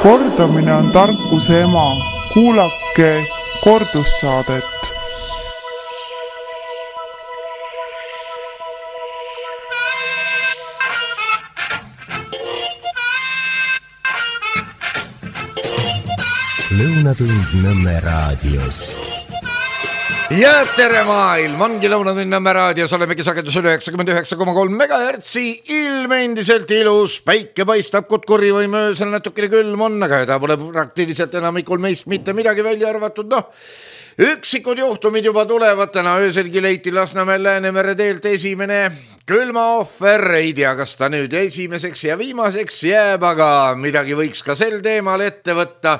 Kordamine on tarkuse ema. Kuulake kordussaadet. Lõunatund Nõmme raadios. Ja tere maailm, ongi Lõunatund Nõmme raadios, olemegi sagedusel 99,3 MHz, ilm endiselt ilus, päike paistab, kutkuri või möösel natukene külm on, aga ta pole praktiliselt enamikul meist mitte midagi välja arvatud, üksikud juhtumid juba tulevad, täna ööselgi leiti Lasnamäel Läänemere teelt esimene külmaohver, ei tea, kas ta nüüd esimeseks ja viimaseks jääb, aga midagi võiks ka sel teemal ette võtta.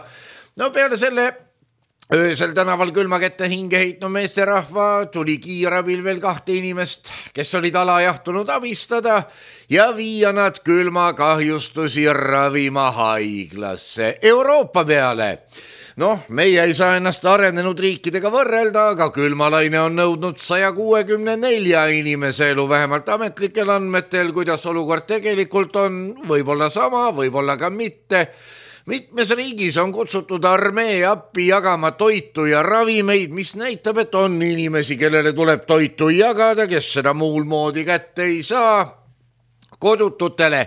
Peale selle öösel tänaval külma kätte hinge heitnud meesterahva tuli kiirabil veel 2 inimest, kes olid alajahtunud abistada ja viia nad külmakahjustusi ravima haiglasse Euroopa peale. Meie ei saa ennast arenenud riikidega võrrelda, aga külmalaine on nõudnud 164 inimese elu, vähemalt ametlikel andmetel, kuidas olukord tegelikult on, võib-olla sama, võib-olla ka mitte. Mitmes riigis on kutsutud armee appi jagama toitu ja ravimeid, mis näitab, et on inimesi, kellele tuleb toitu jagada, kes seda muul moodi kätte ei saa. Kodututele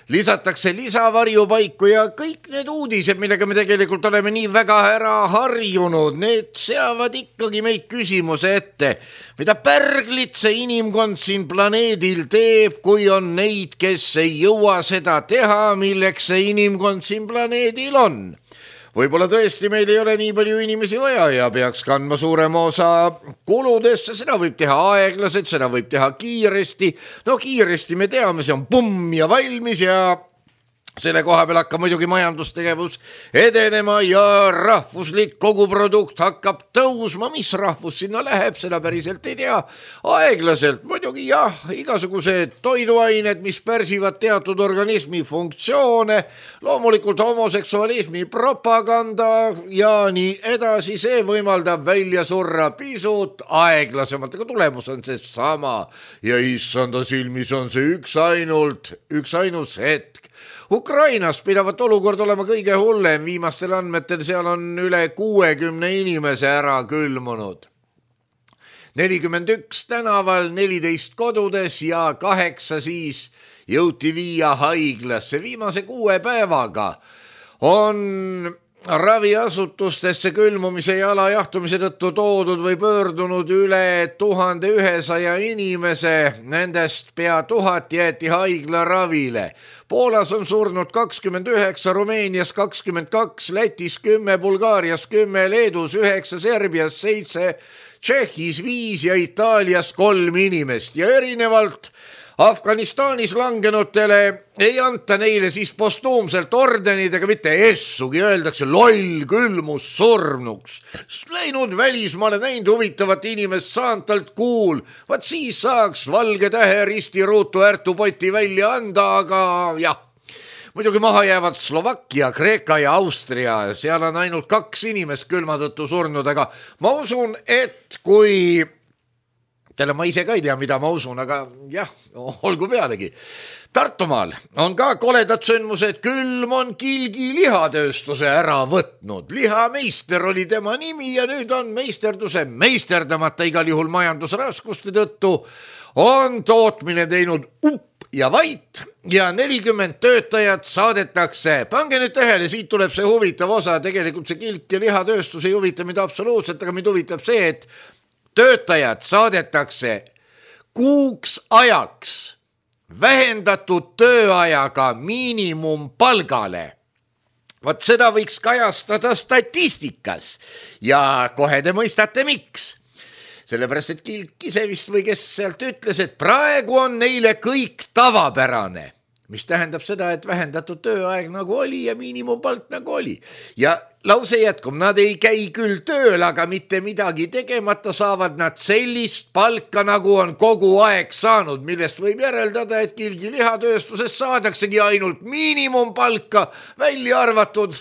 lisatakse lisavarjupaiku ja kõik need uudised, millega me tegelikult oleme nii väga ära harjunud, need seavad ikkagi meid küsimuse ette, mida pärglit see inimkond siin planeedil teeb, kui on neid, kes ei jõua seda teha, milleks see inimkond siin planeedil on. Võib-olla tõesti meil ei ole nii palju inimesi vaja ja peaks kandma suurema osa kuludesse, seda võib teha aeglaselt, seda võib teha kiiresti. Kiiresti me teame, see on pumm ja valmis ja selle koha peal hakkab muidugi majandustegevus edenema ja rahvuslik koguprodukt hakkab tõusma. Mis rahvus sinna läheb, seda päriselt ei tea. Aeglaselt muidugi jah, igasugused toiduained, mis pärsivad teatud organismi funktsioone, loomulikult homoseksualismi propaganda ja nii edasi, see võimaldab välja surra pisut aeglasemalt, aga tulemus on see sama ja issanda silmis on see üks ainus hetk. Ukrainas pidavat olukord olema kõige hullem, viimastel andmetel seal on üle 60 inimese ära külmunud. 41 tänaval, 14 kodudes ja 8 siis jõuti viia haiglasse. Viimase 6 päevaga on raviasutustesse külmumise ja alajahtumise tõttu toodud või pöördunud üle 1100 inimese, nendest pea 1000 jäeti haiglaravile. Poolas on surnud 29, Rumeenias 22, Lätis 10, Bulgaarias 10, Leedus 9, Serbias 7, Tšehhis 5 ja Itaalias 3 inimest ja erinevalt Afganistanis langenutele ei anta neile siis postuumselt ordenid ega mitte essugi, öeldakse loll külmus surnuks. Läinud välismaale näinud huvitavat inimest, saanud talt kuul, vaat siis saaks valge tähe risti ruutu ärtupoti välja anda, aga jah. Muidugi maha jäävad Slovakkia, Kreeka ja Austria, seal on ainult 2 inimest külma tõttu surnud, aga ma usun, et kui ma ise ka ei tea, mida ma usun, aga jah, olgu pealegi. Tartumaal on ka koledad sündmused, külm on Kilgi lihatööstuse ära võtnud. Lihameister oli tema nimi ja nüüd on meisterduse meisterdamata igal juhul majandusraskuste tõttu. On tootmine teinud upp ja vait ja 40 töötajat saadetakse. Pange nüüd tähele, siit tuleb see huvitav osa, tegelikult see Kilk ja lihatööstus ei huvita mind absoluutselt, aga mind huvitab see, et töötajad saadetakse kuuks ajaks vähendatud tööajaga miinimumpalgale. Vaat seda võiks kajastada statistikas ja kohe te mõistate miks. Sellepärast, et Kilk ise vist või kes sealt ütles, et praegu on neile kõik tavapärane. Mis tähendab seda, et vähendatud tööaeg nagu oli ja miinimumpalk nagu oli. Ja lause jätkub, nad ei käi küll tööl, aga mitte midagi tegemata saavad nad sellist palka, nagu on kogu aeg saanud, millest võib järeldada, et Kilgi lihatööstuses saadaksegi ainult miinimumpalka, välja arvatud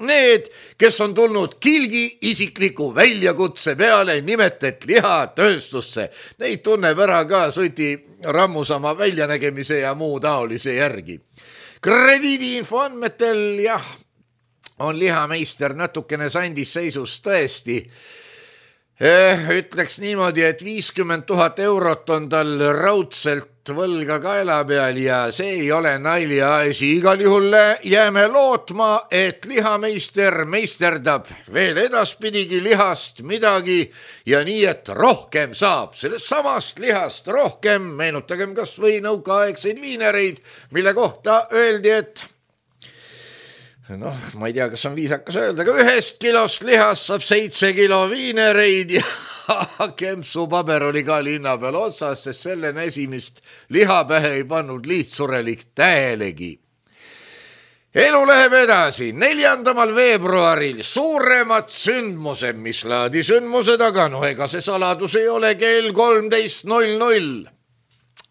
need, kes on tulnud Kilgi isikliku väljakutse peale, nimetet lihatööstusse. Neid tunneb ära ka Suti rammusama väljanägemise ja muu taolise järgi. Krediidiinfo andmetel jah, on lihameister natukene sandis seisus tõesti. Ütleks niimoodi, et 50 000 eurot on tal raudselt võlga kaela peal ja see ei ole naljaasi. Igal juhul jääme lootma, et lihameister meisterdab veel edaspidigi lihast midagi ja nii, et rohkem saab sellest samast lihast rohkem. Meenutagem kas või nõukaaegseid viinereid, mille kohta öeldi, et ma ei tea, kas on viisakas öelda, aga 1 kilost lihast saab 7 kilo viinereid ja kempsupaber oli ka linna peal otsas, sest sellene esimest lihapähe ei pannud lihtsurelik tähelegi. Elu läheb edasi. 4. veebruaril suuremad sündmused, mis laadi sündmused, aga ega see saladus ei ole kell 13:00.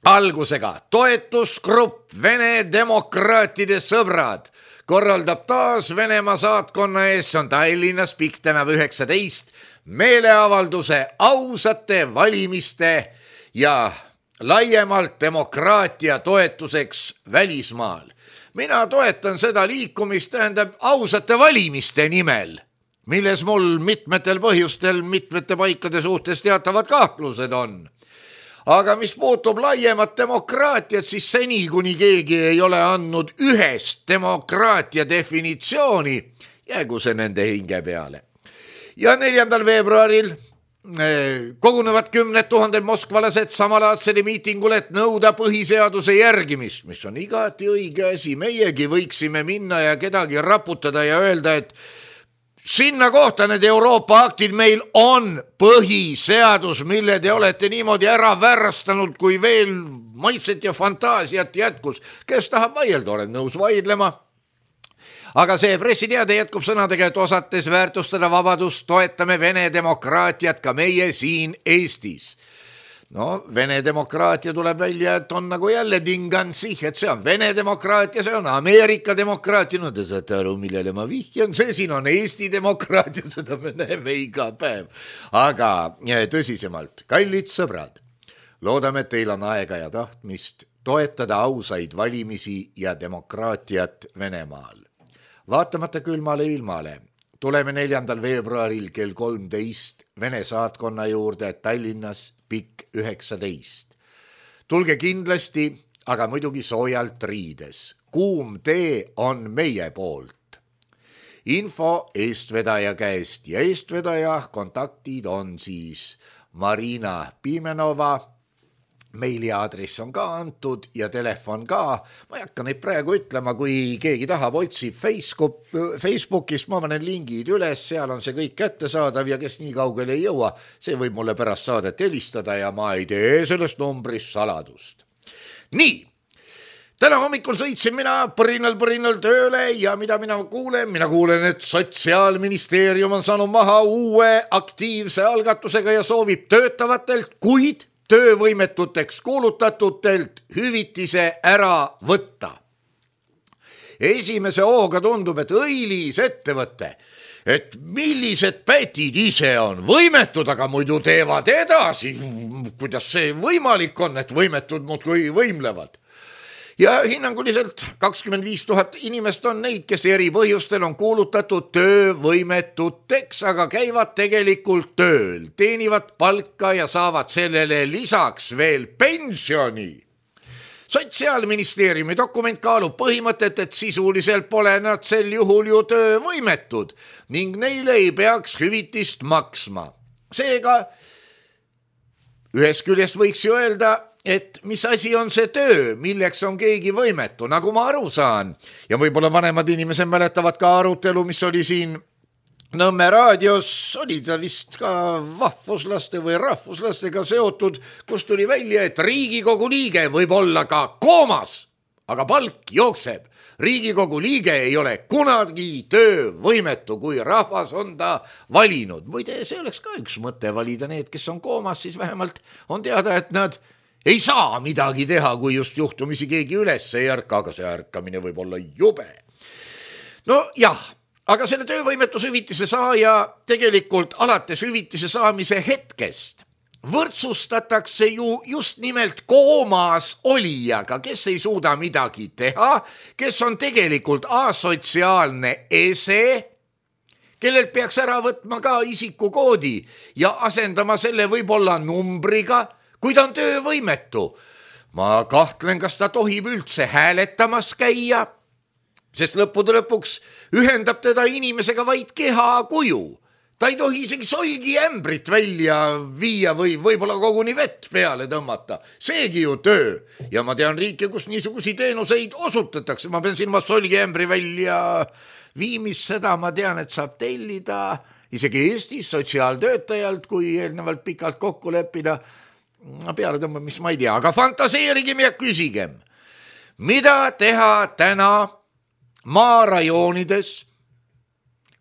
Algusega toetusgrupp Vene demokraatide sõbrad korraldab taas Venemaa saatkonna ees, see on Tallinnas, Pikk tänav 19, meeleavalduse ausate valimiste ja laiemalt demokraatia toetuseks välismaal. Mina toetan seda liikumist, tähendab ausate valimiste nimel, milles mul mitmetel põhjustel mitmete paikade suhtes teatavad kahtlused on. Aga mis puutub laiemat demokraatiat, siis seni, kuni keegi ei ole andnud ühest demokraatia definitsiooni, jäägu see nende hinge peale. Ja 4. veebruaril kogunevad 10 000 moskvalased samalaadsele miitingule, et nõuda põhiseaduse järgimist, mis on igati õige asi. Meiegi võiksime minna ja kedagi raputada ja öelda, et sinna kohta need Euroopa aktid meil on põhiseadus, mille te olete niimoodi ära värrastanud, kui veel maitset ja fantaasiat jätkus. Kes tahab vaielda, olen nõus vaidlema. Aga see pressiteade jätkub sõnadega, et osates väärtustada vabadust, toetame Vene demokraatiat ka meie siin Eestis. Vene demokraatia tuleb välja, et on nagu jälle dingansih, et see on Vene demokraatia, see on Ameerika demokraatia. Te saate aru, millele ma vihjan, see siin on Eesti demokraatia, seda me näeme iga päev. Aga tõsisemalt, kallid sõbrad, loodame, et teil on aega ja tahtmist toetada ausaid valimisi ja demokraatiat Venemaal. Vaatamata külmale ilmale tuleme 4. veebruaril kell 13 Vene saatkonna juurde Tallinnas Pikk 19. Tulge kindlasti, aga muidugi soojalt riides. Kuum tee on meie poolt. Info eestvedaja käest ja eestvedaja kontaktid on siis Marina Pimenova. Meiliaadress on ka antud ja telefon ka. Ma ei hakka neid praegu ütlema, kui keegi tahab, otsib Facebookist, ma panen lingid üles, seal on see kõik kättesaadav ja kes nii kaugele ei jõua, see võib mulle pärast saadet helistada ja ma ei tee sellest numbrist saladust. Nii, täna hommikul sõitsin mina põrinal tööle ja mida mina kuulen? Mina kuulen, et Sotsiaalministeerium on saanud maha uue aktiivse algatusega ja soovib töötavatelt, kuid töövõimetuteks kuulutatutelt hüvitise ära võtta. Esimese hooga tundub, et õilis ettevõte, et millised pätid ise on võimetud, aga muidu teevad edasi. Kuidas see võimalik on, et võimetud muudkui võimlevad? Ja hinnanguliselt 25 000 inimest on neid, kes eri põhjustel on kuulutatud töövõimetuteks, aga käivad tegelikult tööl, teenivad palka ja saavad sellele lisaks veel pensioni. Sotsiaalministeeriumi dokument kaalub põhimõtet, et sisuliselt pole nad sel juhul ju töövõimetud ning neile ei peaks hüvitist maksma. Seega, ühest küljest võiks ju öelda, et mis asi on see töö, milleks on keegi võimetu, nagu ma aru saan. Ja võib-olla vanemad inimesed mäletavad ka arutelu, mis oli siin Nõmme raadios, oli ta vist ka vahvuslaste või rahvuslastega seotud, kus tuli välja, et Riigikogu liige võib olla ka koomas, aga palk jookseb. Riigikogu liige ei ole kunagi töövõimetu, kui rahvas on ta valinud. Muide, see oleks ka üks mõte valida need, kes on koomas, siis vähemalt on teada, et nad ei saa midagi teha, kui just juhtumisi keegi üles ei ärka, aga see ärkamine võib olla jube. No jah, aga selle töövõimetushüvitise saaja tegelikult alates hüvitise saamise hetkest võrdsustatakse ju just nimelt koomas olijaga, kes ei suuda midagi teha, kes on tegelikult asotsiaalne ese, kellelt peaks ära võtma ka isikukoodi ja asendama selle võib-olla numbriga, kui ta on töövõimetu. Ma kahtlen, kas ta tohib üldse hääletamas käia, sest lõppude lõpuks ühendab teda inimesega vaid kehakuju. Ta ei tohi isegi solgiämbrit välja viia või võib-olla koguni vett peale tõmmata. Seegi ju töö. Ja ma tean riike, kus niisugusi teenuseid osutatakse. Ma pean silma solgiämbri välja viimist, seda ma tean, et saab tellida isegi Eestis sotsiaaltöötajalt, kui eelnevalt pikalt kokku leppida. Peale tõmbamist ma ei tea, aga fantaseerigem ja küsigem. Mida teha täna maarajoonides,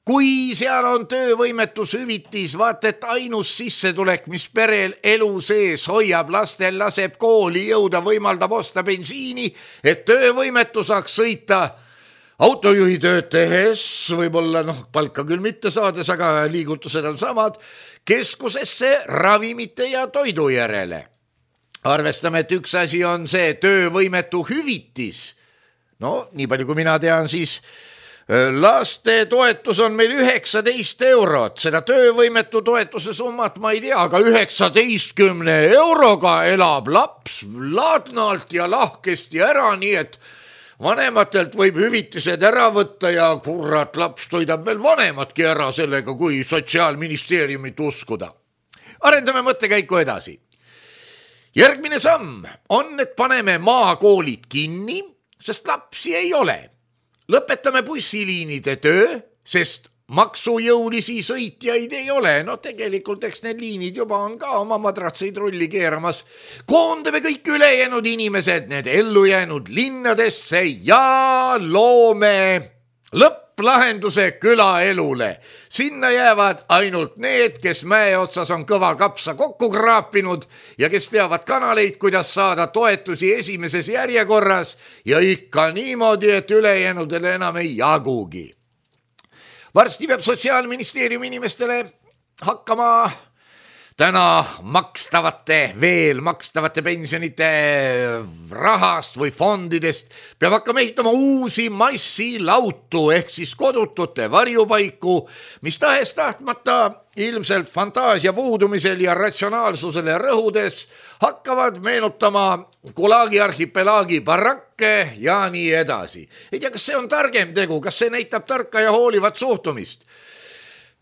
kui seal on töövõimetushüvitis, vaata, et ainus sissetulek, mis perel elu sees hoiab, lastel laseb kooli jõuda, võimaldab osta bensiini, et töövõimetu saaks sõita autojuhi tööd tehes, võib-olla palka küll mitte saades, aga liigutused on samad, keskusesse ravimite ja toidu järele. Arvestame, et üks asi on see töövõimetu hüvitis. Nii palju kui mina tean, siis laste toetus on meil 19 eurot, seda töövõimetu toetuse summat ma ei tea, aga 19 euroga elab laps ladnalt ja lahkesti ära, nii et vanematelt võib hüvitised ära võtta ja kurat, laps toidab veel vanematki ära sellega, kui Sotsiaalministeeriumit uskuda. Arendame mõttekäiku edasi. Järgmine samm on, et paneme maakoolid kinni, sest lapsi ei ole. Lõpetame bussiliinide töö, sest maksujõulisi sõitjaid ei ole. Tegelikult eks need liinid juba on ka oma madratseid rulli keeramas. Koondame kõik ülejäänud inimesed, need ellu jäänud linnadesse ja loome lõpplahenduse külaelule. Sinna jäävad ainult need, kes mäe otsas on kõva kapsa kokku kraapinud ja kes teavad kanaleid, kuidas saada toetusi esimeses järjekorras ja ikka niimoodi, et ülejäänudele enam ei jagugi. Varsti peab Sotsiaalministeeriumi inimestele hakkama täna veel makstavate pensionite rahast või fondidest peab hakkama ehitama uusi massilautu ehk siis kodutute varjupaiku, mis tahes tahtmata ilmselt fantaasia puudumisel ja ratsionaalsusele rõhudes hakkavad meenutama Gulagi arhipelaagi barakke ja nii edasi. Ei tea, kas see on targem tegu, kas see näitab tarka ja hoolivat suhtumist?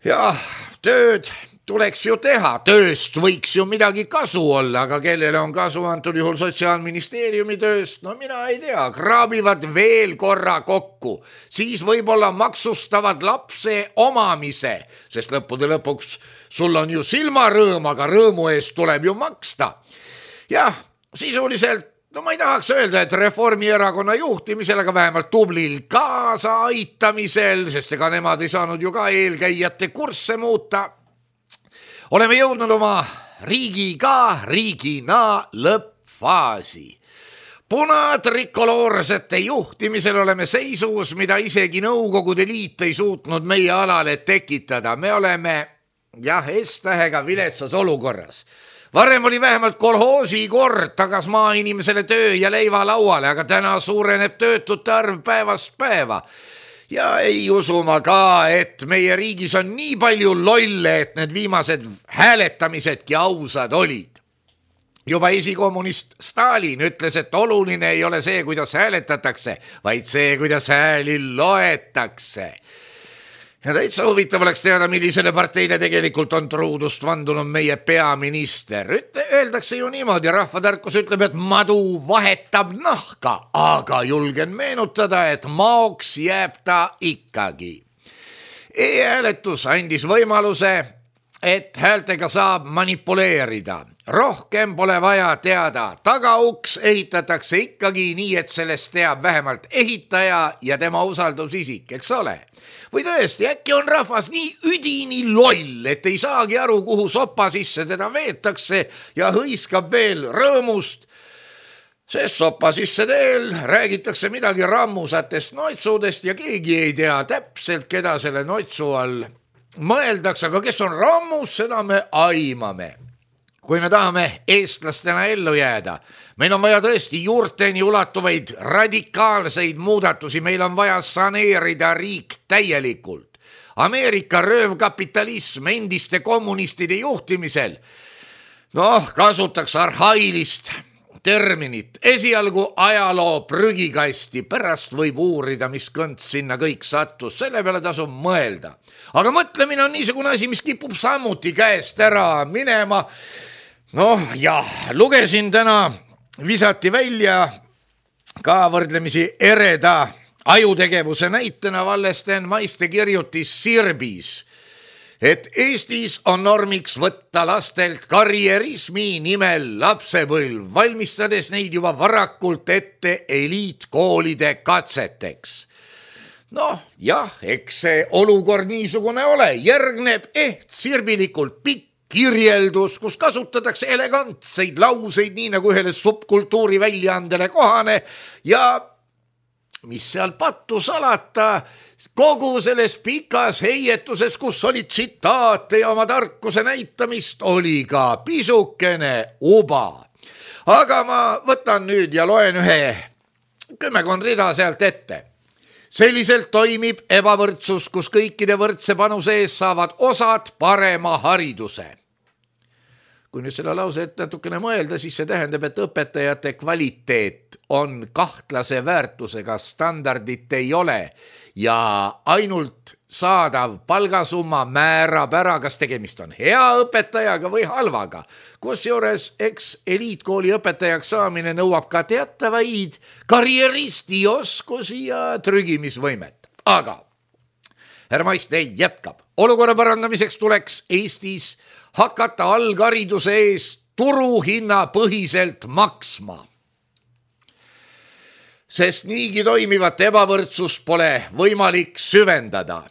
Jah, tööd tuleks ju teha, tööst võiks ju midagi kasu olla, aga kellele on kasu antud juhul Sotsiaalministeeriumi tööst, mina ei tea, kraabivad veel korra kokku, siis võib-olla maksustavad lapse omamise, sest lõppude lõpuks sul on ju silmarõõm, aga rõõmu eest tuleb ju maksta. Jah, sisuliselt, ma ei tahaks öelda, et Reformierakonna juhtimisel, aga vähemalt tublil kaasaaitamisel, sest ega nemad ei saanud ju ka eelkäijate kursse muuta, oleme jõudnud oma riigina lõppfaasi. Punatrikoloorsete juhtimisel oleme seisus, mida isegi Nõukogude Liit ei suutnud meie alale tekitada. Me oleme, S-tähega viletsas olukorras. Varem oli vähemalt kolhoosi kord tagas maainimesele töö ja leiva lauale, aga täna suureneb töötute arv päevast päeva. Ja ei usu ma ka, et meie riigis on nii palju lolle, et need viimased hääletamisedki ausad olid. Juba esikommunist Stalin ütles, et oluline ei ole see, kuidas hääletatakse, vaid see, kuidas hääli loetakse. Ja täitsa huvitav oleks teada, millisele parteile tegelikult on truudust vandunud meie peaminister. Öeldakse ju niimoodi, rahvatarkus ütleb, et madu vahetab nahka, aga julgen meenutada, et maoks jääb ta ikkagi. E-hääletus andis võimaluse, et häältega saab manipuleerida. Rohkem pole vaja teada, tagauks ehitatakse ikkagi nii, et sellest teab vähemalt ehitaja ja tema usaldusisik, eks ole? Või tõesti, äkki on rahvas nii üdini loll, et ei saagi aru, kuhu sopa sisse teda veetakse ja hõiskab veel rõõmust, sest sopa sisse teel räägitakse midagi rammusatest noitsudest ja keegi ei tea täpselt, keda selle noitsu all mõeldakse, aga kes on rammus, seda me aimame. kui me tahame eestlastena ellu jääda, meil on vaja tõesti juurteni ulatuvaid radikaalseid muudatusi, meil on vaja saneerida riik täielikult. Ameerika röövkapitalism endiste kommunistide juhtimisel, kasutaks arhailist terminit, esialgu ajaloo prügikasti, pärast võib uurida, mis kõnts sinna kõik sattus, selle peale tasub mõelda. Aga mõtlemine on niisugune asi, mis kipub samuti käest ära minema. Lugesin täna, visati välja ka võrdlemisi ereda ajutegevuse näitena Vallesten Maiste kirjutis Sirbis, et Eestis on normiks võtta lastelt karjerismi nimel lapsepõlv, valmistades neid juba varakult ette eliitkoolide katseteks. Eks see olukord niisugune ole, järgneb sirbilikult pikk kirjeldus, kus kasutatakse elegantseid lauseid, nii nagu ühele subkultuuri väljaandele kohane ja mis seal pattu salata, kogu selles pikas heietuses, kus oli tsitaate ja oma tarkuse näitamist, oli ka pisukene uba. Aga ma võtan nüüd ja loen ühe 10 rida sealt ette. Selliselt toimib ebavõrdsus, kus kõikide võrdse panuse ees saavad osad parema hariduse. Kui nüüd selle lause natukene mõelda, siis see tähendab, et õpetajate kvaliteet on kahtlase väärtusega, standardit ei ole ja ainult saadav palgasumma määrab ära, kas tegemist on hea õpetajaga või halvaga. Kusjuures eliitkooli õpetajaks saamine nõuab ka teatavaid karjeristi oskusi ja trügimisvõimet. Aga härra Maiste jätkab. Olukorra parandamiseks tuleks Eestis hakata alghariduse eest turuhinna põhiselt maksma. Sest niigi toimivat ebavõrdsust pole võimalik süvendada.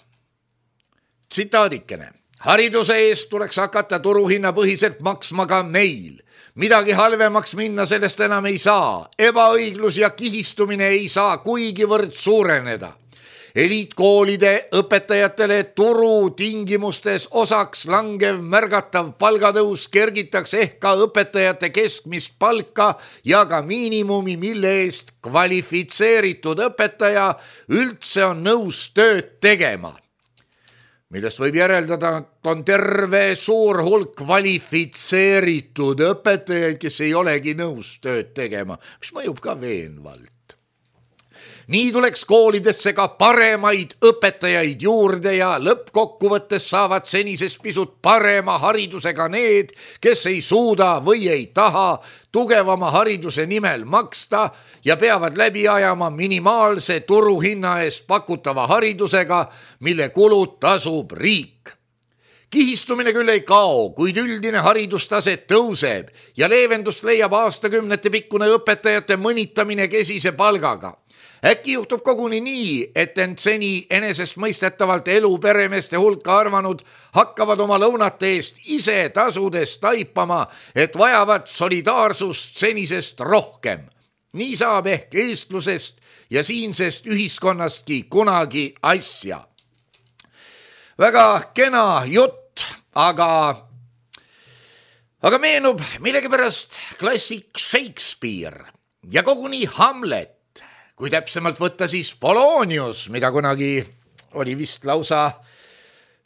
Tsitaadikene. Hariduse eest tuleks hakata turuhinna põhiselt maksma ka meil. Midagi halvemaks minna sellest enam ei saa. Ebaõiglus ja kihistumine ei saa kuigivõrd suureneda. Eliitkoolide õpetajatele turu tingimustes osaks langev märgatav palgatõus kergitaks ehk ka õpetajate keskmist palka ja ka miinimumi, mille eest kvalifitseeritud õpetaja üldse on nõus tööd tegema. Millest võib järeldada, et on terve suur hulk kvalifitseeritud õpetajaid, kes ei olegi nõus tööd tegema, mis mõjub ka veenvalt. Nii tuleks koolidesse ka paremaid õpetajaid juurde ja lõppkokkuvõttes saavad senisest pisut parema haridusega need, kes ei suuda või ei taha tugevama hariduse nimel maksta ja peavad läbi ajama minimaalse turuhinna eest pakutava haridusega, mille kulud tasub riik. Kihistumine küll ei kao, kuid üldine haridustase tõuseb ja leevendust leiab aastakümnete pikkune õpetajate mõnitamine kesise palgaga. Äkki juhtub koguni nii, et end seni enesestmõistetavalt elu peremeeste hulka arvanud hakkavad oma lõunate eest ise tasudest taipama, et vajavad solidaarsust senisest rohkem. Nii saab ehk eestlusest ja siinsest ühiskonnastki kunagi asja. Väga kena jutt, aga meenub millegipärast klassik Shakespeare ja koguni Hamlet. Kui täpsemalt võtta siis Polonius, mida kunagi oli vist lausa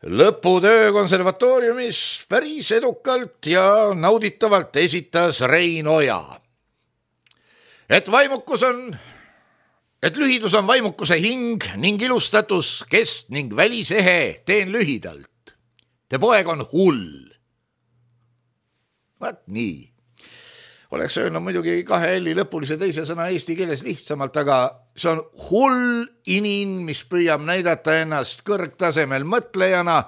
lõputöö konservatooriumis päris edukalt ja nauditavalt esitas Rein Oja. Et lühidus on vaimukuse hing ning ilustatus kest ning välisehe, teen lühidalt. Te poeg on hull. Vaat nii. Oleks öelnud muidugi 2 L lõpulise teise sõna eesti keeles lihtsamalt, aga see on hull inin, mis püüab näidata ennast kõrgtasemel mõtlejana,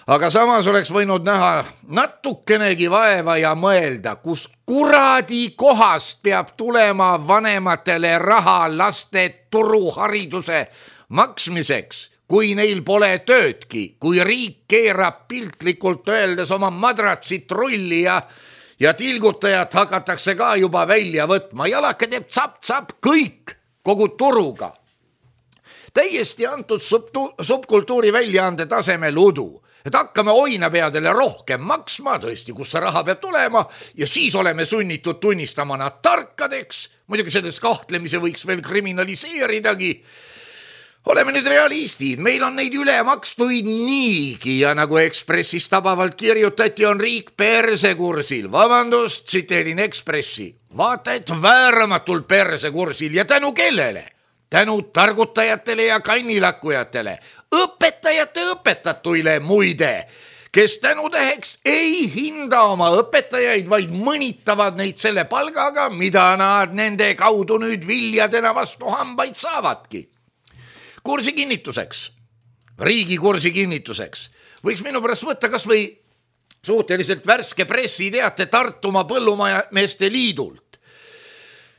aga samas oleks võinud näha natukenegi vaeva ja mõelda, kus kuradi kohast peab tulema vanematele raha laste turuhariduse maksmiseks, kui neil pole töödki, kui riik keerab piltlikult öeldes oma madratsit rulli ja tilgutajat hakatakse ka juba välja võtma. Jalake teeb tsap-tsap kõik kogu turuga. Täiesti antud subkultuuri väljaande tasemel udu, et hakkame oinapeadele rohkem maksma, tõesti, kus see raha peab tulema ja siis oleme sunnitud tunnistama nad tarkadeks. Muidugi selles kahtlemise võiks veel kriminaliseeridagi. Oleme nüüd realistid, meil on neid ülemakstuid niigi ja nagu Ekspressis tabavalt kirjutati, on riik persekursil. Vabandust, tsiteerin Ekspressi. Vaata, et vääramatult persekursil ja tänu kellele? Tänu targutajatele ja kannilakkujatele, õpetajate õpetatuile muide, kes tänutäheks ei hinda oma õpetajaid, vaid mõnitavad neid selle palgaga, mida nad nende kaudu nüüd viljadena vastu hambaid saavadki. Kursi kinnituseks, riigi kursi kinnituseks, võiks minu pärast võtta kas või suhteliselt värske pressiteate Tartumaa Põllumeeste Liidult.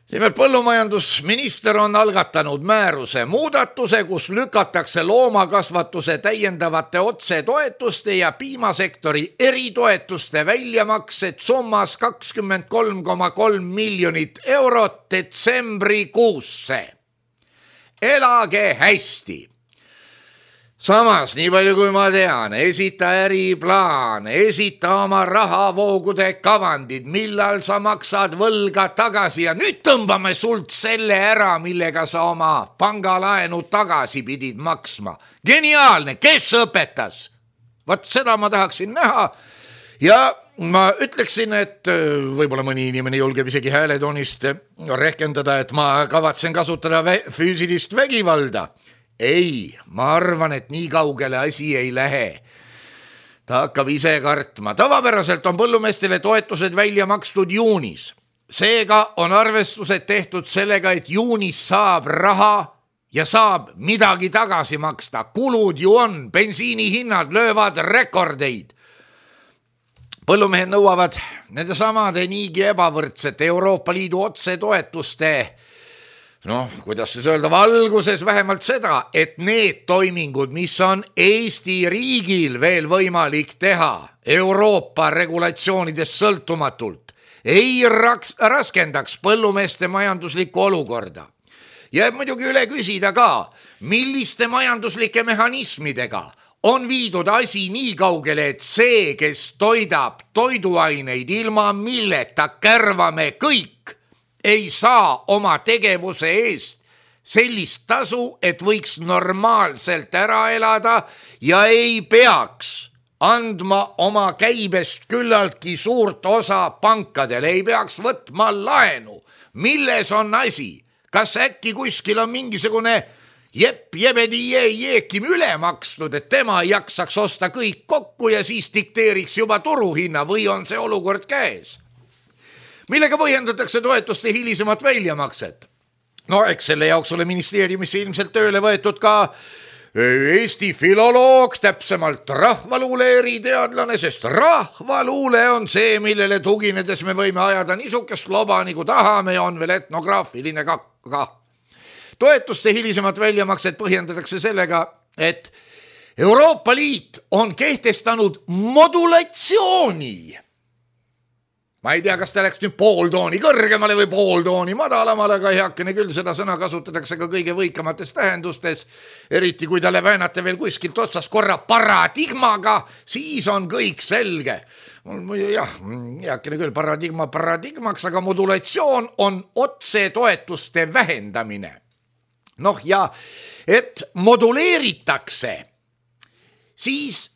Nimelt põllumajandusminister on algatanud määruse muudatuse, kus lükatakse loomakasvatuse täiendavate otsetoetuste ja piimasektori eritoetuste väljamaksed summas 23,3 miljonit eurot detsembrikuusse. Elage hästi! Samas, nii palju kui ma tean, esita äriplaan, esita oma rahavoogude kavandid, millal sa maksad võlga tagasi ja nüüd tõmbame sult selle ära, millega sa oma pangalaenu tagasi pidid maksma. Geniaalne, kes õpetas? Vaat seda ma tahaksin näha ja ma ütleksin, et võib-olla mõni inimene julgeb isegi hääletoonist rehkendada, et ma kavatsen kasutada füüsilist vägivalda. Ei, ma arvan, et nii kaugele asi ei lähe. Ta hakkab ise kartma. Tavapäraselt on põllumeestele toetused välja makstud juunis. Seega on arvestused tehtud sellega, et juunis saab raha ja saab midagi tagasi maksta. Kulud ju on, bensiinihinnad löövad rekordeid. Põllumehed nõuavad nende samade niigi ebavõrdsete Euroopa Liidu otsetoetuste kuidas siis öelda, valguses vähemalt seda, et need toimingud, mis on Eesti riigil veel võimalik teha Euroopa regulatsioonidest sõltumatult, ei raskendaks põllumeeste majanduslikku olukorda. Jääb muidugi üle küsida ka, milliste majanduslike mehhanismidega on viidud asi nii kaugele, et see, kes toidab toiduaineid, ilma milleta kärvame kõik, ei saa oma tegevuse eest sellist tasu, et võiks normaalselt ära elada ja ei peaks andma oma käibest küllaltki suurt osa pankadele, ei peaks võtma laenu. Milles on asi? Kas äkki kuskil on mingisugune jeekim üle makstud, et tema ei jaksaks osta kõik kokku ja siis dikteeriks juba turuhinna või on see olukord käes? Millega põhjendatakse toetuste hilisemat väljamakset? Eks selle jaoks ole ministeeriumisse ilmselt tööle võetud ka Eesti filoloog, täpsemalt rahvaluule eriteadlane, sest rahvaluule on see, millele tuginedes me võime ajada niisugust loba, nagu tahame ja on veel etnograafiline ka. Toetuste hilisemat väljamakset põhjendatakse sellega, et Euroopa Liit on kehtestanud modulatsiooni. Ma ei tea, kas ta läks nüüd pool tooni kõrgemale või pool tooni madalamale, aga heakene küll seda sõna kasutatakse ka kõige võikamates tähendustes, eriti kui talle väänate veel kuskilt otsast korra paradigmaga, siis on kõik selge. Heakene küll paradigmaks, aga modulatsioon on otsetoetuste vähendamine. Ja et moduleeritakse, siis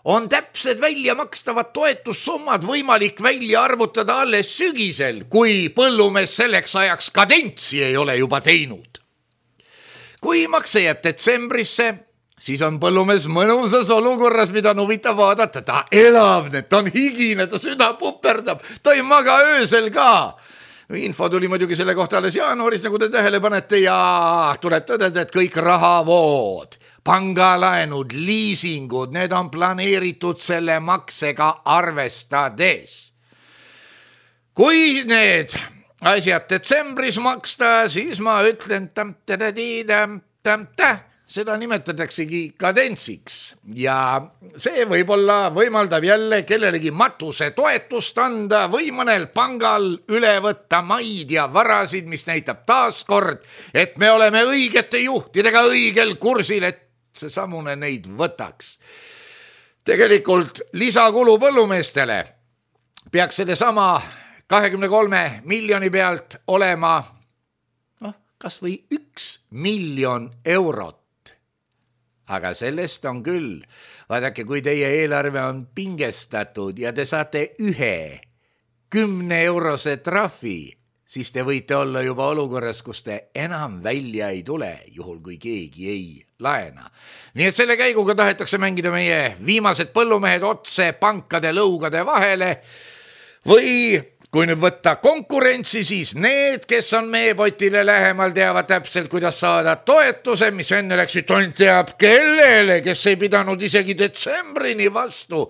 on täpsed välja makstavad toetussummad võimalik välja arvutada alles sügisel, kui põllumees selleks ajaks kadentsi ei ole juba teinud. Kui makse jääb detsembrisse, siis on põllumees mõnusas olukorras, mida on huvitav vaadata. Ta elavneb, ta on higine, ta süda puperdab, ta ei maga öösel ka. Info tuli muidugi selle kohta alles jaanuaris, nagu te tähele panete, ja tuleb tõdeda, et kõik rahavood, pangalaenud, liisingud, need on planeeritud selle maksega arvestades. Kui need asjad detsembris maksta, siis ma ütlen, seda nimetataksegi kadentsiks ja see võib-olla võimaldab jälle kellelegi matuse toetust anda või mõnel pangal üle võtta maid ja varasid, mis näitab taaskord, et me oleme õigete juhtidega õigel kursil, et see samune neid võtaks. tegelikult lisakulu põllumeestele peaks selle sama 23 miljoni pealt olema kas või 1 miljon eurot. Aga sellest on küll. Vaadake, kui teie eelarve on pingestatud ja te saate 1 10-eurose trahvi, siis te võite olla juba olukorras, kus te enam välja ei tule, juhul kui keegi ei laena. Nii et selle käiguga tahetakse mängida meie viimased põllumehed otse pankade lõugade vahele või kui nüüd võtta konkurentsi, siis need, kes on meepotile lähemal, teavad täpselt, kuidas saada toetuse, mis enne läksid ainult teab kellele, kes ei pidanud isegi detsembrini vastu,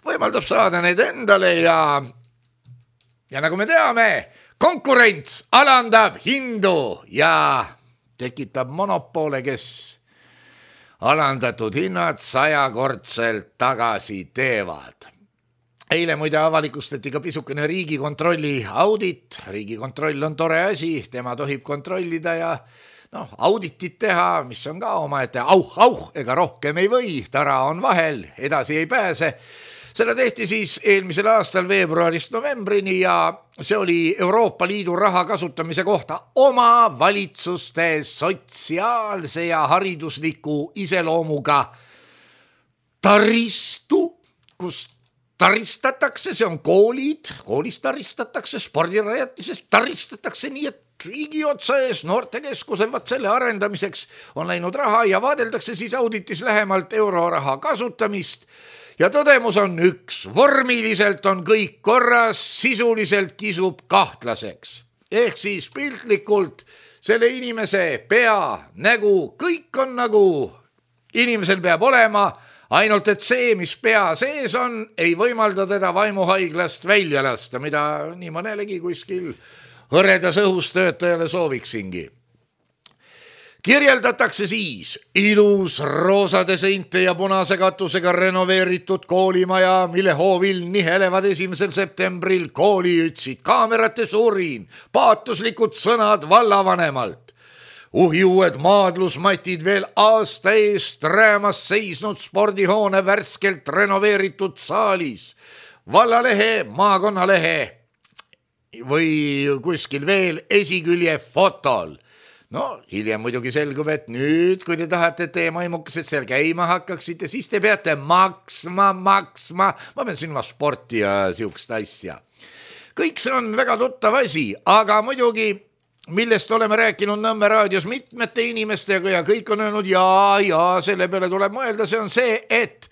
võimaldab saada need endale ja nagu me teame, konkurents alandab hindu ja tekitab monopole, kes alandatud hinnad 100-kordselt tagasi teevad. Eile muide avalikustati ka pisukene Riigikontrolli audit. Riigikontroll on tore asi, tema tohib kontrollida ja auditit teha, mis on ka omaette ega rohkem ei või, tara on vahel, edasi ei pääse. Seda tehti siis eelmisel aastal veebruarist novembrini ja see oli Euroopa Liidu raha kasutamise kohta oma valitsuste sotsiaalse ja haridusliku iseloomuga taristu, kus taristatakse, see on koolid, koolis taristatakse, spordirajatisest taristatakse nii, et riigi otsa ees noortekeskuse selle arendamiseks on läinud raha ja vaadeldakse siis auditis lähemalt euroraha kasutamist. Ja tõdemus on üks, vormiliselt on kõik korras, sisuliselt kisub kahtlaseks. Ehk siis piltlikult selle inimese pea, nägu, kõik on nagu inimesel peab olema, ainult et see, mis pea sees on, ei võimalda teda vaimuhaiglast välja lasta, mida nii mõnelegi kuskil hõredas õhus töötajale sooviksingi. Kirjeldatakse siis ilus roosade seinte ja punase katusega renoveeritud koolimaja, mille hoovil nihelevad 1. septembril kooli ütsid kaamerate suurin, paatuslikud sõnad vallavanemalt. Uhiued maadlusmatid veel aasta eest räämas seisnud spordihoone värskelt renoveeritud saalis, vallalehe, maakonnalehe või kuskil veel esikülje fotol. Hiljem muidugi selgub, et nüüd, kui te tahate, et teie maimukesed seal käima hakkaksite, siis te peate maksma. Ma pean silma sporti ja siukest asja. Kõik see on väga tuttav asi, aga muidugi, millest oleme rääkinud Nõmme raadios mitmete inimestega ja kõik on öelnud ja selle peale tuleb mõelda, see on see, et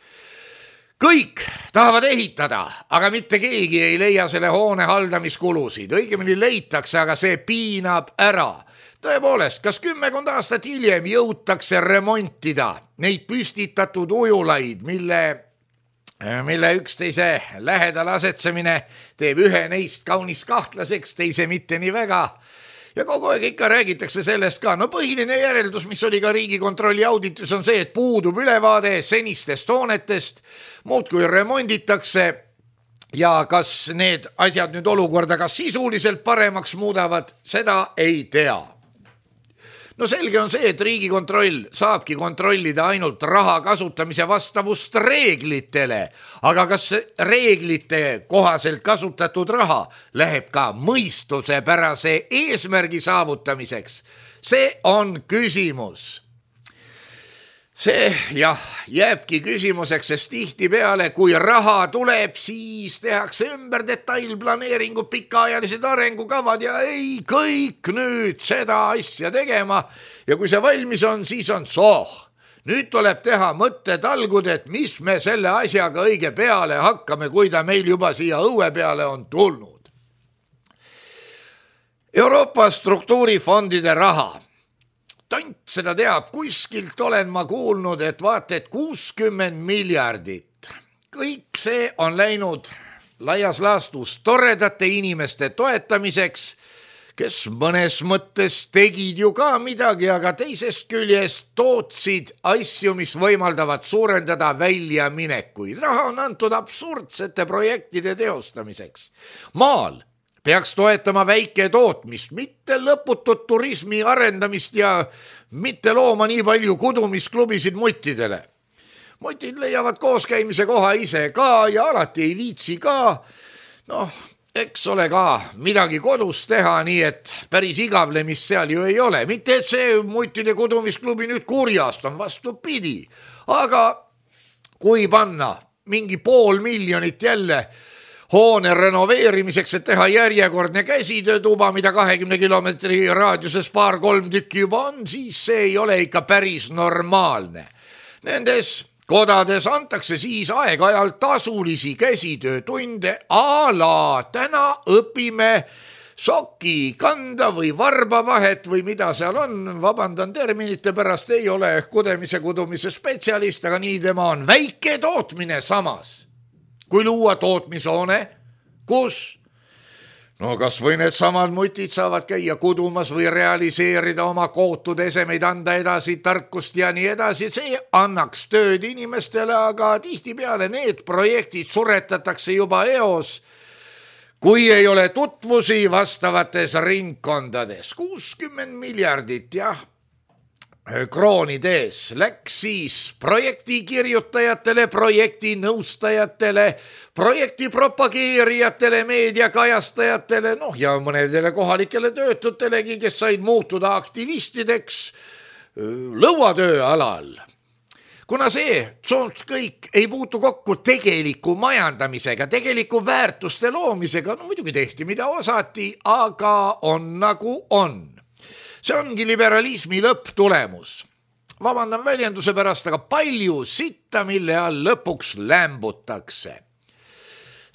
kõik tahavad ehitada, aga mitte keegi ei leia selle hoone haldamiskulusid. Õigemini leitakse, aga see piinab ära. Tõepoolest, kas 10 aastat hiljem jõutakse remontida neid püstitatud ujulaid, mille üksteise lähedal asetsemine teeb ühe neist kaunis kahtlaseks, teise mitte nii väga. Ja kogu aeg ikka räägitakse sellest ka. Põhiline järeldus, mis oli ka Riigikontrolli auditis, on see, et puudub ülevaade senistest hoonetest, muud kui remonditakse ja kas need asjad nüüd olukorda ka sisuliselt paremaks muudavad, seda ei tea. Selge on see, et Riigikontroll saabki kontrollida ainult raha kasutamise vastavust reeglitele, aga kas reeglite kohaselt kasutatud raha läheb ka mõistusepärase eesmärgi saavutamiseks? See on küsimus. See jääbki küsimuseks, sest tihtipeale, kui raha tuleb, siis tehakse ümber detailplaneeringu, pikaajalised arengukavad ja ei kõik nüüd seda asja tegema. Ja kui see valmis on, siis on nüüd tuleb teha mõttetalgud, et mis me selle asjaga õige peale hakkame, kui ta meil juba siia õue peale on tulnud. Euroopa struktuurifondide raha. Tant seda teab, kuskilt olen ma kuulnud, et vaata, et 60 miljardit. Kõik see on läinud laias laastus toredate inimeste toetamiseks, kes mõnes mõttes tegid ju ka midagi, aga teisest küljest tootsid asju, mis võimaldavad suurendada väljaminekuid. Raha on antud absurdsete projektide teostamiseks. Maal peaks toetama väike tootmist, mitte lõputut turismi arendamist ja mitte looma nii palju kudumisklubisid muttidele. mutid leiavad kooskäimise koha ise ka ja alati ei viitsi ka. Noh, eks ole ka midagi kodus teha, nii et päris igavlemist seal ju ei ole. Mitte et see mutide kudumisklubi nüüd kurjast on, vastupidi. Aga kui panna mingi 500 000 jälle hoone renoveerimiseks, et teha järjekordne käsitöötuba, mida 20 kilomeetri raadiuses 2-3 tükki juba on, siis see ei ole ikka päris normaalne. Nendes kodades antakse siis aeg-ajalt tasulisi käsitöötunde a la täna õpime soki kanda või varbavahet või mida seal on, vabandan terminite pärast, ei ole kudumise spetsialist, aga nii tema on. Väike tootmine samas, kui luua tootmishoone, kus kas või need samad mutid saavad käia kudumas või realiseerida oma kootud esemeid, anda edasi tarkust ja nii edasi, see annaks tööd inimestele, aga tihtipeale need projektid suretatakse juba eos, kui ei ole tutvusi vastavates ringkondades. 60 miljardit, jah, kroonides läks siis projekti kirjutajatele, projekti nõustajatele, projekti propageerijatele, meediakajastajatele, ja mõnedele kohalikele töötutelegi, kes said muutuda aktivistideks lõuatöö alal. Kuna see kõik ei puutu kokku tegeliku majandamisega, tegeliku väärtuste loomisega, muidugi tehti mida osati, aga on nagu on. See ongi liberalismi lõpptulemus. Vabandan väljenduse pärast, aga palju sitta, mille all lõpuks lämbutakse.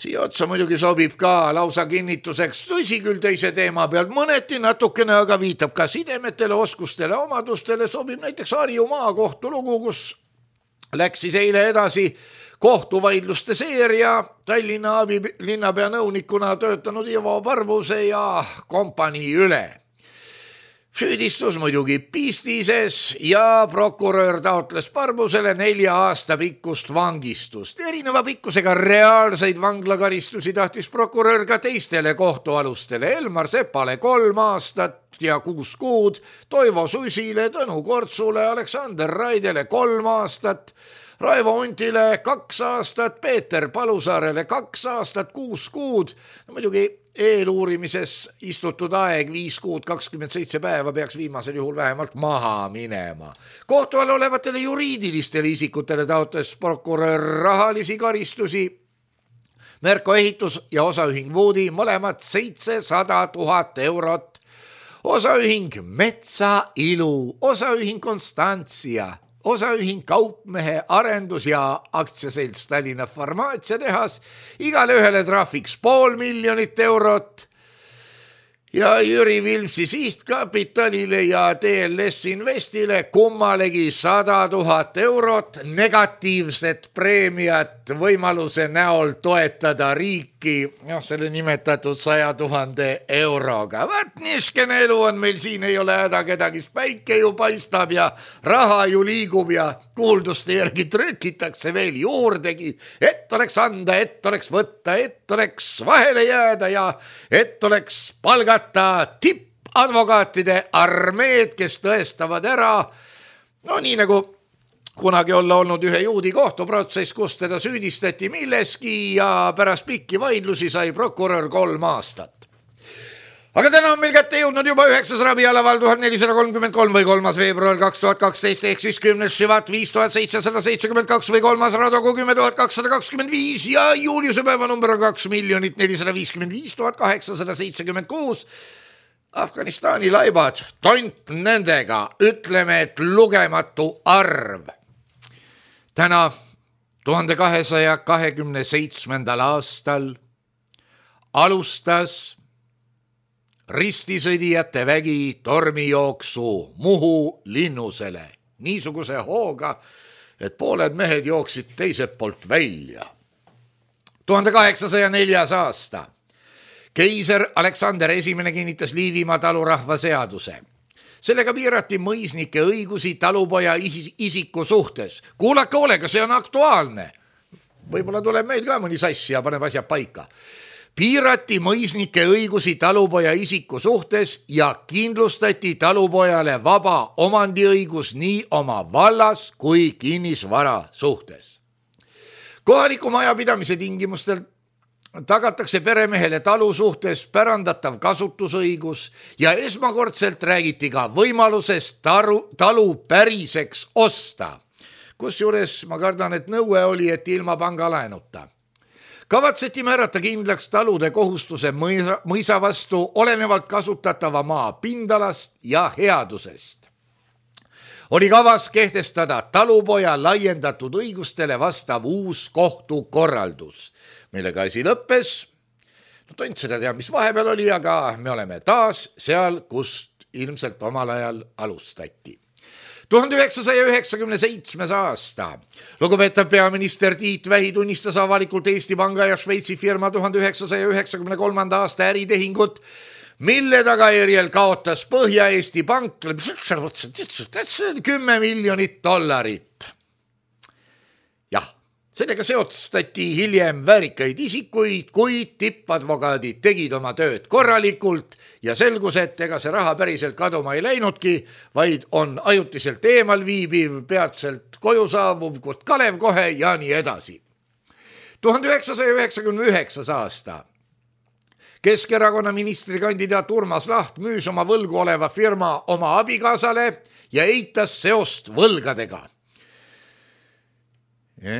Siia otsa muidugi sobib ka lausa kinnituseks, tõsi küll teise teema pealt mõneti natukene, aga viitab ka sidemetele, oskustele, omadustele, sobib näiteks Harju maakohtu lugu, kus läks siis eile edasi kohtuvaidluste seeria Tallinna linnapea nõunikuna töötanud Ivo Parbuse ja kompanii üle. Süüdistus muidugi pistises ja prokurör taotles Parbusele 4 aasta pikkust vangistust. Erineva pikkusega reaalseid vanglakaristusi tahtis prokurör ka teistele kohtualustele. Elmar Sepale 3 aastat ja 6 kuud, Toivo Susile, Tõnu Kortsule, Aleksander Raidele 3 aastat, Raivo Untile 2 aastat, Peeter Palusaarele 2 aastat, 6 kuud. Muidugi eeluurimises istutud aeg 5 kuud 27 päeva peaks viimasel juhul vähemalt maha minema. Kohtu all olevatele juriidilistele isikutele taotles prokurör rahalisi karistusi. Merko Ehitus ja osaühing Woodi mõlemad 700 000 eurot. Osaühing Metsailu, osaühing Konstantsia, osaühing Kaupmehe arendus ja aktsiaselts Tallinna farmaatsiatehas, igale ühele trahviks 500 000 eurot ja Jüri Vilmsi sihtkapitalile ja TLS Investile kummalegi 100 000 eurot negatiivset preemiat võimaluse näol toetada riiki, selle nimetatud 100 000 euroga. Vaat niiskene elu on meil siin, ei ole häda kedagi, päike ju paistab ja raha ju liigub ja kuulduste järgi trükitakse veel juurdegi, et oleks anda, et oleks võtta, et oleks vahele jääda ja et oleks palgata tippadvokaatide armeed, kes tõestavad ära, nii nagu kunagi olla olnud ühe juudi kohtuprotsess, kus teda süüdistati milleski ja pärast pikki vaidlusi sai prokurör 3 aastat. Aga täna on meil kätte jõudnud juba 9. rabialaval 1433 või 3. veebruar 2012 ehk siis 10. Šivat 5772 või 3. Radogu 10225 ja juuliuse päeva number on 2 455 876. Afganistani laibad, tont nendega, ütleme, et lugematu arv. Täna 1227. aastal alustas ristisõdijate vägi tormijooksu Muhu linnusele niisuguse hooga, et pooled mehed jooksid teiselt poolt välja. 1804. aasta. Keiser Aleksander I kinnitas Liivimaa talurahva seaduse. Sellega piirati mõisnike õigusi talupoja isiku suhtes. Kuulake hoolega, see on aktuaalne. Võib-olla tuleb meil ka mõni sass ja paneb asjad paika. piirati mõisnike õigusi talupoja isiku suhtes ja kindlustati talupojale vaba omandiõigus nii oma vallas kui kinnisvara suhtes. Kohaliku majapidamise tingimustel tagatakse peremehele talu suhtes pärandatav kasutusõigus ja esmakordselt räägiti ka võimalusest talu päriseks osta. Kusjuures ma kardan, et nõue oli, et ilma pangalaenuta. Kavatseti määrata kindlaks talude kohustuse mõisa vastu olenevalt kasutatava maa pindalast ja headusest. Oli kavas kehtestada talupoja laiendatud õigustele vastav uus kohtukorraldus, millega asi lõppes. Tont seda tea, mis vahepeal oli, aga me oleme taas seal, kust ilmselt omal ajal alustati. 1997. aasta. Lugupeetav peaminister Tiit Vähi tunnistas avalikult Eesti Panga ja Šveitsi firma 1993. aasta äritehingut, mille tagajärjel kaotas Põhja-Eesti Pank 10 miljonit dollarit. Jah, sellega seostati hiljem väärikaid isikuid, kuid tippadvokaadid tegid oma tööd korralikult ja selgus, et ega see raha päriselt kaduma ei läinudki, vaid on ajutiselt eemal viibiv, peatselt koju saabuv Kurt Kalev kohe ja nii edasi. 1999. aasta. Keskerakonna ministrikandidaat Urmas Laht müüs oma võlgu oleva firma oma abikaasale ja eitas seost võlgadega.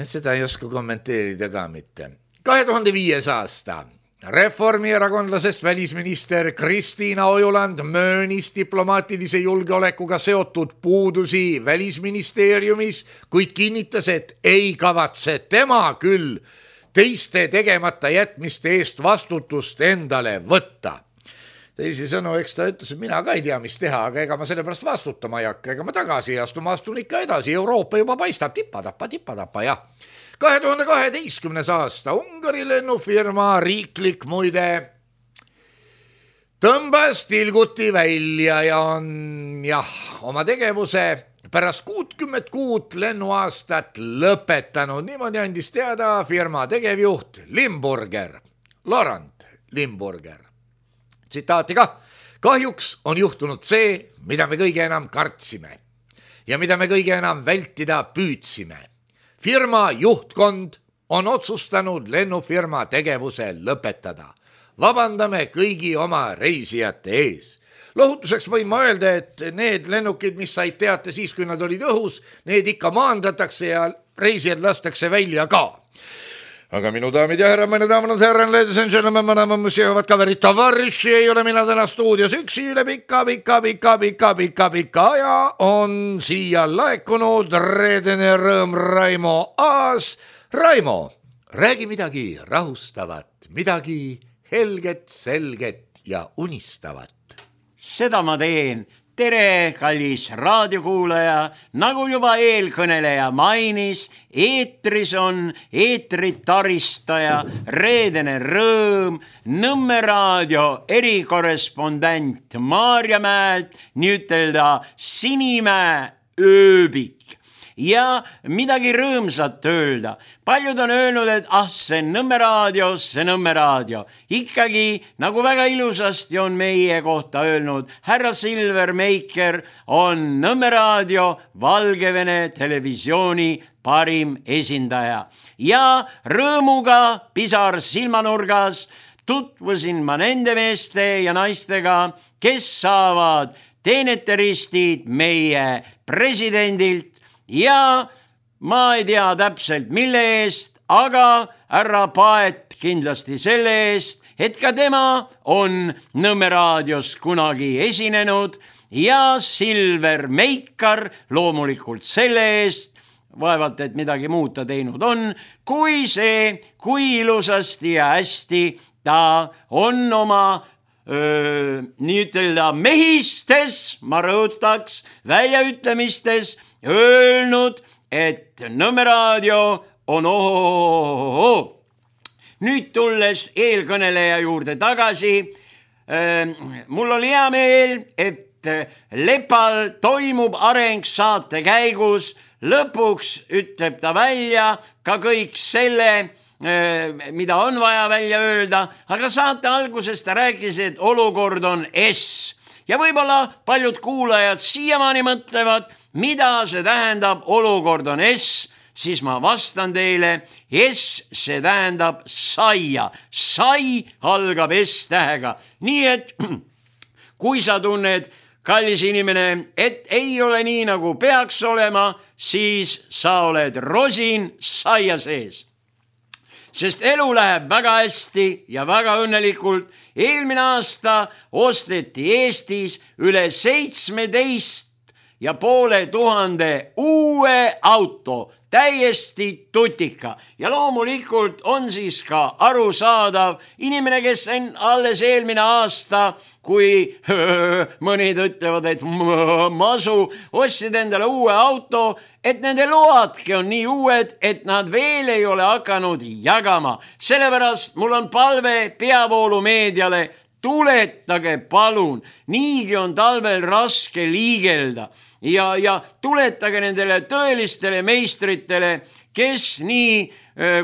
Seda ei oska kommenteerida ka mitte. 2005. aasta. Reformierakondlasest välisminister Kristiina Ojuland möönis diplomaatilise julgeolekuga seotud puudusi välisministeeriumis, kuid kinnitas, et ei kavatse tema küll teiste tegemata jätmiste eest vastutust endale võtta. Teisisõnu, eks ta ütles, et mina ka ei tea, mis teha, aga ega ma selle pärast vastutama ei hakka, ega ma tagasi ei astu, ma astun ikka edasi, Euroopa juba paistab tippa-tappa, jah. 2012. aasta Ungari lennufirma riiklik muide tõmbas tilguti välja ja on oma tegevuse pärast 60 kuud lennuaastat lõpetanud. Niimoodi andis teada firma tegevjuht Limburger, Laurent Limburger. Tsitaati ka, kahjuks on juhtunud see, mida me kõige enam kartsime ja mida me kõige enam vältida püüdsime. Firma juhtkond on otsustanud lennufirma tegevuse lõpetada. Vabandame kõigi oma reisijate ees. Lohutuseks võin ma öelda, et need lennukid, mis said teate siis, kui nad olid õhus, need ikka maandatakse ja reisijad lastakse välja ka. Aga minu daamid ja härra, meine daamid ja härra, ladies and gentlemen, madame, monsieur, vad kaverid, tavariši, ei ole mina täna stuudios üksi üle pika ja on siia laekunud reedene rõõm Raimo Aas. Raimo, räägi midagi rahustavat, midagi helget, selget ja unistavat. Seda ma teen. Tere, kallis raadiokuulaja, nagu juba eelkõneleja mainis, eetris on eetritaristaja, reedene rõõm, Nõmme raadio erikorrespondent Maarjamäelt, nii ütelda Sinimäe ööbik. Ja midagi rõõmsat öelda. Paljud on öelnud, et see Nõmme raadio. Ikkagi, nagu väga ilusasti on meie kohta öelnud, härra Silver Meiker on Nõmme raadio Valgevene televisiooni parim esindaja. Ja rõõmuga pisar silmanurgas tutvusin ma nende meeste ja naistega, kes saavad teeneteristid meie presidendilt. Ja ma ei tea täpselt mille eest, aga härra Paet kindlasti selle eest, et ka tema on Nõmme raadios kunagi esinenud ja Silver Meikar loomulikult selle eest, vaevalt et midagi muud ta teinud on, kui ilusasti ja hästi ta on oma nii ütelda mehistes, ma rõhutaks, väljaütlemistes öelnud, et Nõmme raadio on Nüüd tulles eelkõneleja juurde tagasi, mul oli hea meel, et Lepal toimub areng saate käigus, lõpuks ütleb ta välja ka kõik selle, mida on vaja välja öelda, aga saate alguses ta rääkis, et olukord on S. Ja võib-olla paljud kuulajad siiamaani mõtlevad, mida see tähendab, olukord on S, siis ma vastan teile, S, see tähendab saia. Sai algab S-tähega. Nii et kui sa tunned, kallis inimene, et ei ole nii, nagu peaks olema, siis sa oled rosin saia sees. Sest elu läheb väga hästi ja väga õnnelikult. Eelmine aasta osteti Eestis üle 17,500 uue auto, täiesti tutika. Ja loomulikult on siis ka arusaadav inimene, kes on alles eelmine aasta, kui mõnid ütlevad, et masu, ostsid endale uue auto, et nende loadki on nii uued, et nad veel ei ole hakanud jagama. Sellepärast mul on palve peavoolumeediale, tuletage palun, niigi on talvel raske liigelda ja tuletage nendele tõelistele meistritele, kes nii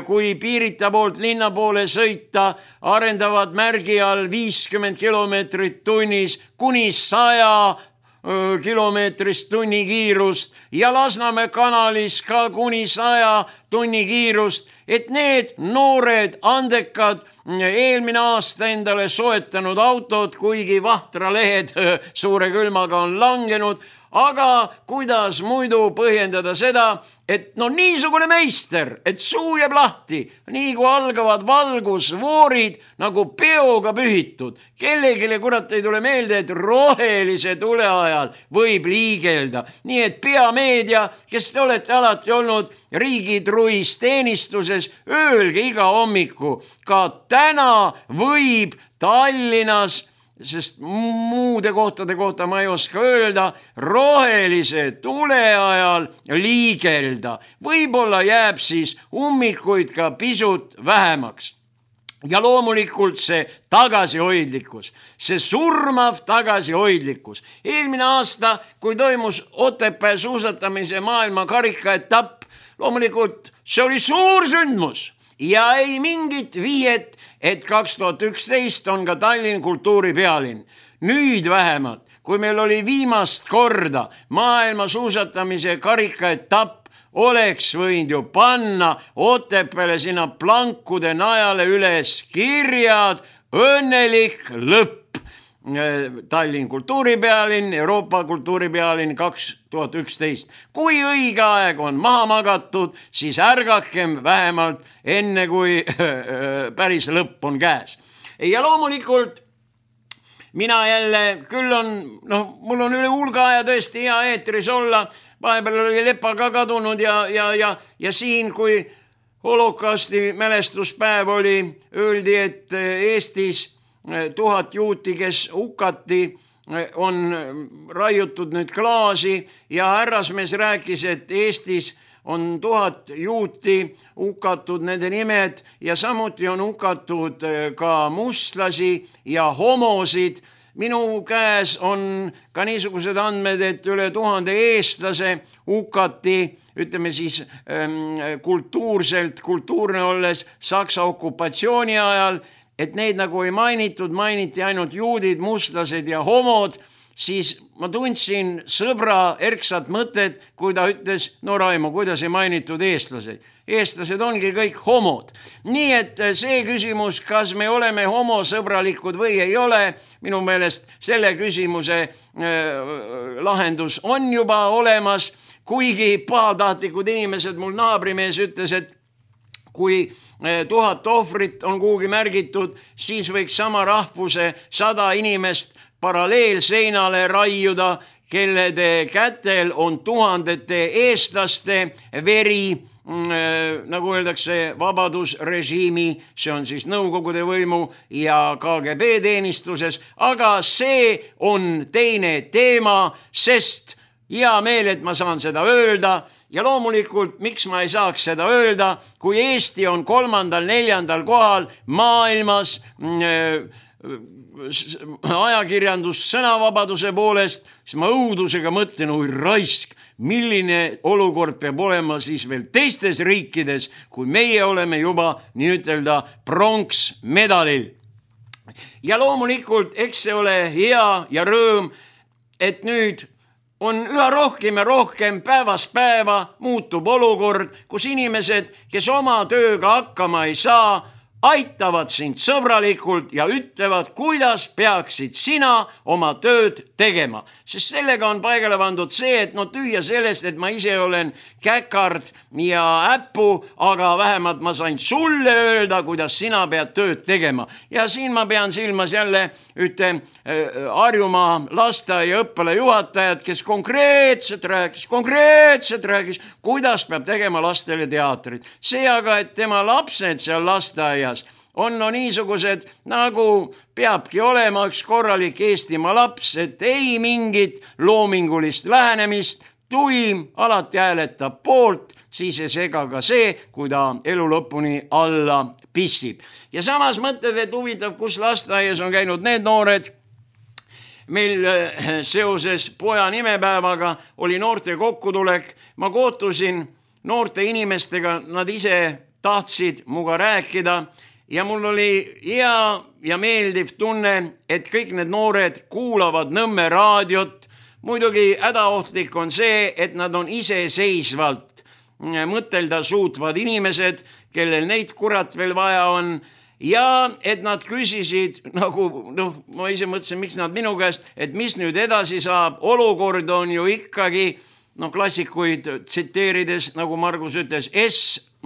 kui Piirita poolt linna poole sõita, arendavad märgi all 50 kilomeetrit tunnis kuni 100 kilomeetrist tunni kiirust ja Lasnamäe kanalis ka kuni 100 tunni kiirust, et need noored andekad eelmine aasta endale soetanud autod, kuigi vahtralehed suure külmaga on langenud, aga kuidas muidu põhjendada seda, et no niisugune meister, et suu jääb lahti, nii kui algavad valgusvoorid nagu peoga pühitud. Kellegile kurat ei tule meelde, et rohelise tule ajal võib liigelda. Nii et peameedia, kes te olete alati olnud riigitruis teenistuses, öelge iga hommiku, ka täna võib Tallinnas, sest muude kohtade kohta ma ei oska öelda, rohelise tule ajal liigelda. Võib-olla jääb siis ummikuid ka pisut vähemaks. Ja loomulikult see tagasihoidlikkus, see surmav tagasihoidlikkus. Eelmine aasta, kui toimus Otepää suusatamise maailma karikaetapp, loomulikult see oli suur sündmus ja ei mingit viiet, et 2011 on ka Tallinn kultuuripealinn. Nüüd vähemalt, kui meil oli viimast korda maailma suusatamise karikaetapp, oleks võinud ju panna Otepääle sinna plankude najale üles kirjad õnnelik lõpp. Tallinn kultuuripealinn, Euroopa kultuuripealinn 2011. Kui õige aeg on maha magatud, siis ärgakem vähemalt enne, kui päris lõpp on käes. Ja loomulikult mina jälle, küll on, mul on üle hulga aja tõesti hea eetris olla, vahepeal oli Lepa ka kadunud ja siin, kui holokausti mälestuspäev oli, öeldi, et Eestis 1000 juuti, kes hukati, on raiutud nüüd klaasi ja härrasmees rääkis, et Eestis on 1000 juuti hukatud nende nimed ja samuti on hukatud ka mustlasi ja homosid. Minu käes on ka niisugused andmed, et üle 1000 eestlase hukati, ütleme siis kultuurne olles Saksa okupatsiooni ajal, et neid nagu ei mainitud, mainiti ainult juudid, mustlased ja homod, siis ma tundsin sõbra erksat mõtet, kui ta ütles, no Raimo, kuidas ei mainitud eestlased? Eestlased ongi kõik homod. Nii et see küsimus, kas me oleme homosõbralikud või ei ole, minu meelest selle küsimuse lahendus on juba olemas, kuigi pahatahtlikud inimesed, mul naabrimees ütles, et kui 1000 ohvrit on kuhugi märgitud, siis võiks sama rahvuse 100 inimest paralleelseinale raiuda, kellede kätel on tuhandete eestlaste veri, nagu öeldakse, vabadusrežiimi, see on siis Nõukogude võimu ja KGB teenistuses, aga see on teine teema, sest hea meel, et ma saan seda öelda ja loomulikult, miks ma ei saaks seda öelda, kui Eesti on 3.-4. kohal maailmas ajakirjandus sõnavabaduse poolest, siis ma õudusega mõtlen, oi raisk, milline olukord peab olema siis veel teistes riikides, kui meie oleme juba nii ütelda pronksmedalil. Ja loomulikult, eks see ole hea ja rõõm, et nüüd on üha rohkem ja rohkem päevast päeva muutub olukord, kus inimesed, kes oma tööga hakkama ei saa, aitavad sind sõbralikult ja ütlevad, kuidas peaksid sina oma tööd tegema. Sest sellega on paigale pandud see, et tühja sellest, et ma ise olen käkard ja äppu, aga vähemalt ma sain sulle öelda, kuidas sina pead tööd tegema. Ja siin ma pean silmas jälle ühte Harjumaa lasteaia õppealajuhatajat, kes konkreetselt rääkis, kuidas peab tegema lastele teatrit. See aga, et tema lapsed seal lasteaias on niisugused, nagu peabki olema üks korralik Eestimaa laps, et ei mingit loomingulist lähenemist, tuim alati hääletab poolt, siis ei sega ka see, kui ta elu lõpuni alla pissib. Ja samas mõtled, et huvitav, kus lasteaias on käinud need noored. Meil seoses poja nimepäevaga oli noorte kokkutulek. Ma kohtusin noorte inimestega, nad ise tahtsid muga rääkida ja mul oli hea ja meeldiv tunne, et kõik need noored kuulavad Nõmme raadiot. Muidugi hädaohtlik on see, et nad on iseseisvalt mõtelda suutvad inimesed, kellel neid kurat veel vaja on. Ja et nad küsisid, nagu ma ise mõtlesin, miks nad minu käest, et mis nüüd edasi saab, olukord on ju ikkagi, klassikuid tsiteerides, nagu Margus ütles,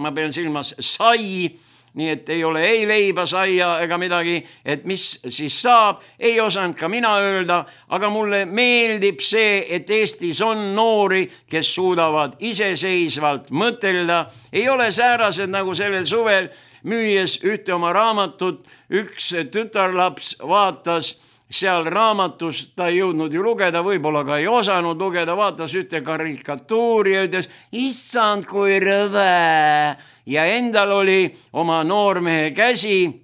ma pean silmas sai, nii et ei ole ei leiba, saia ega midagi, et mis siis saab, ei osanud ka mina öelda, aga mulle meeldib see, et Eestis on noori, kes suudavad iseseisvalt mõtelda, ei ole säärased nagu sellel suvel, müües ühte oma raamatut, üks tütarlaps vaatas seal raamatus, ta ei jõudnud ju lugeda, võib-olla ka ei osanud lugeda, vaatas ühte karikatuuri ja ütles, issand kui rõve. Ja endal oli oma noormehe käsi,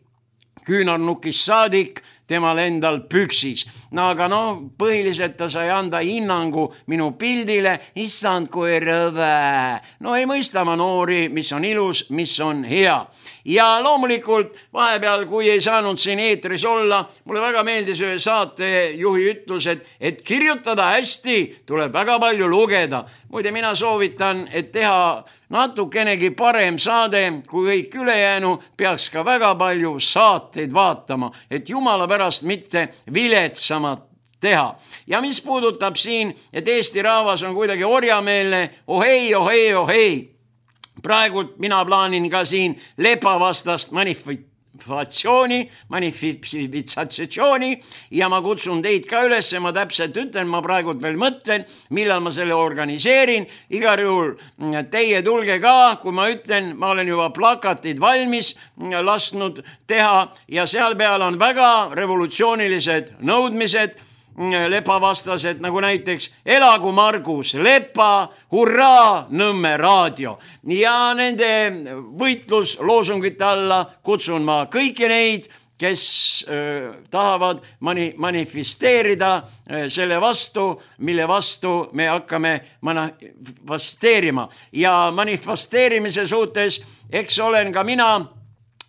küünarnukist saadik, temal endal püksis. Aga põhiliselt ta sai anda hinnangu minu pildile, issand kui rõve. Ei mõista ma noori, mis on ilus, mis on hea. Ja loomulikult vahepeal, kui ei saanud siin eetris olla, mulle väga meeldis ühe saatejuhi ütlus, et kirjutada hästi, tuleb väga palju lugeda. Muide, mina soovitan, et teha natukenegi parem saade, kui kõik ülejäänu peaks ka väga palju saateid vaatama, et jumala pärast mitte viletsamat teha. Ja mis puudutab siin, et Eesti rahvas on kuidagi orjameelne, ohei. Praegult mina plaanin ka siin lepavastast manifitsatsiooni ja ma kutsun teid ka üles, ma täpselt ütlen, ma praegult veel mõtlen, millal ma selle organiseerin. Igal juhul teie tulge ka, kui ma ütlen, ma olen juba plakatid valmis lasknud teha ja seal peal on väga revolutsioonilised nõudmised, lepavastased, nagu näiteks elagu Margus Lepa, hurraa Nõmme raadio. Ja nende võitlusloosungite alla kutsun ma kõiki neid, kes tahavad manifesteerida selle vastu, mille vastu me hakkame manifesteerima. Ja manifesteerimise suhtes, eks olen ka mina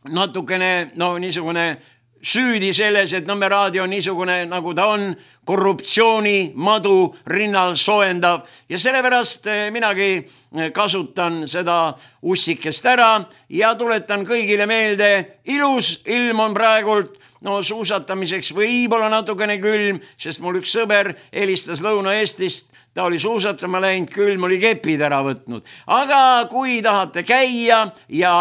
natukene niisugune süüdi selles, et Nõmme raadio on niisugune, nagu ta on, korruptsiooni madu rinnal soojendav ja sellepärast minagi kasutan seda ussikest ära ja tuletan kõigile meelde, ilus ilm on praegult, suusatamiseks võib-olla natukene külm, sest mul üks sõber helistas Lõuna-Eestist, ta oli suusatama läinud, külm oli kepid ära võtnud. Aga kui tahate käia ja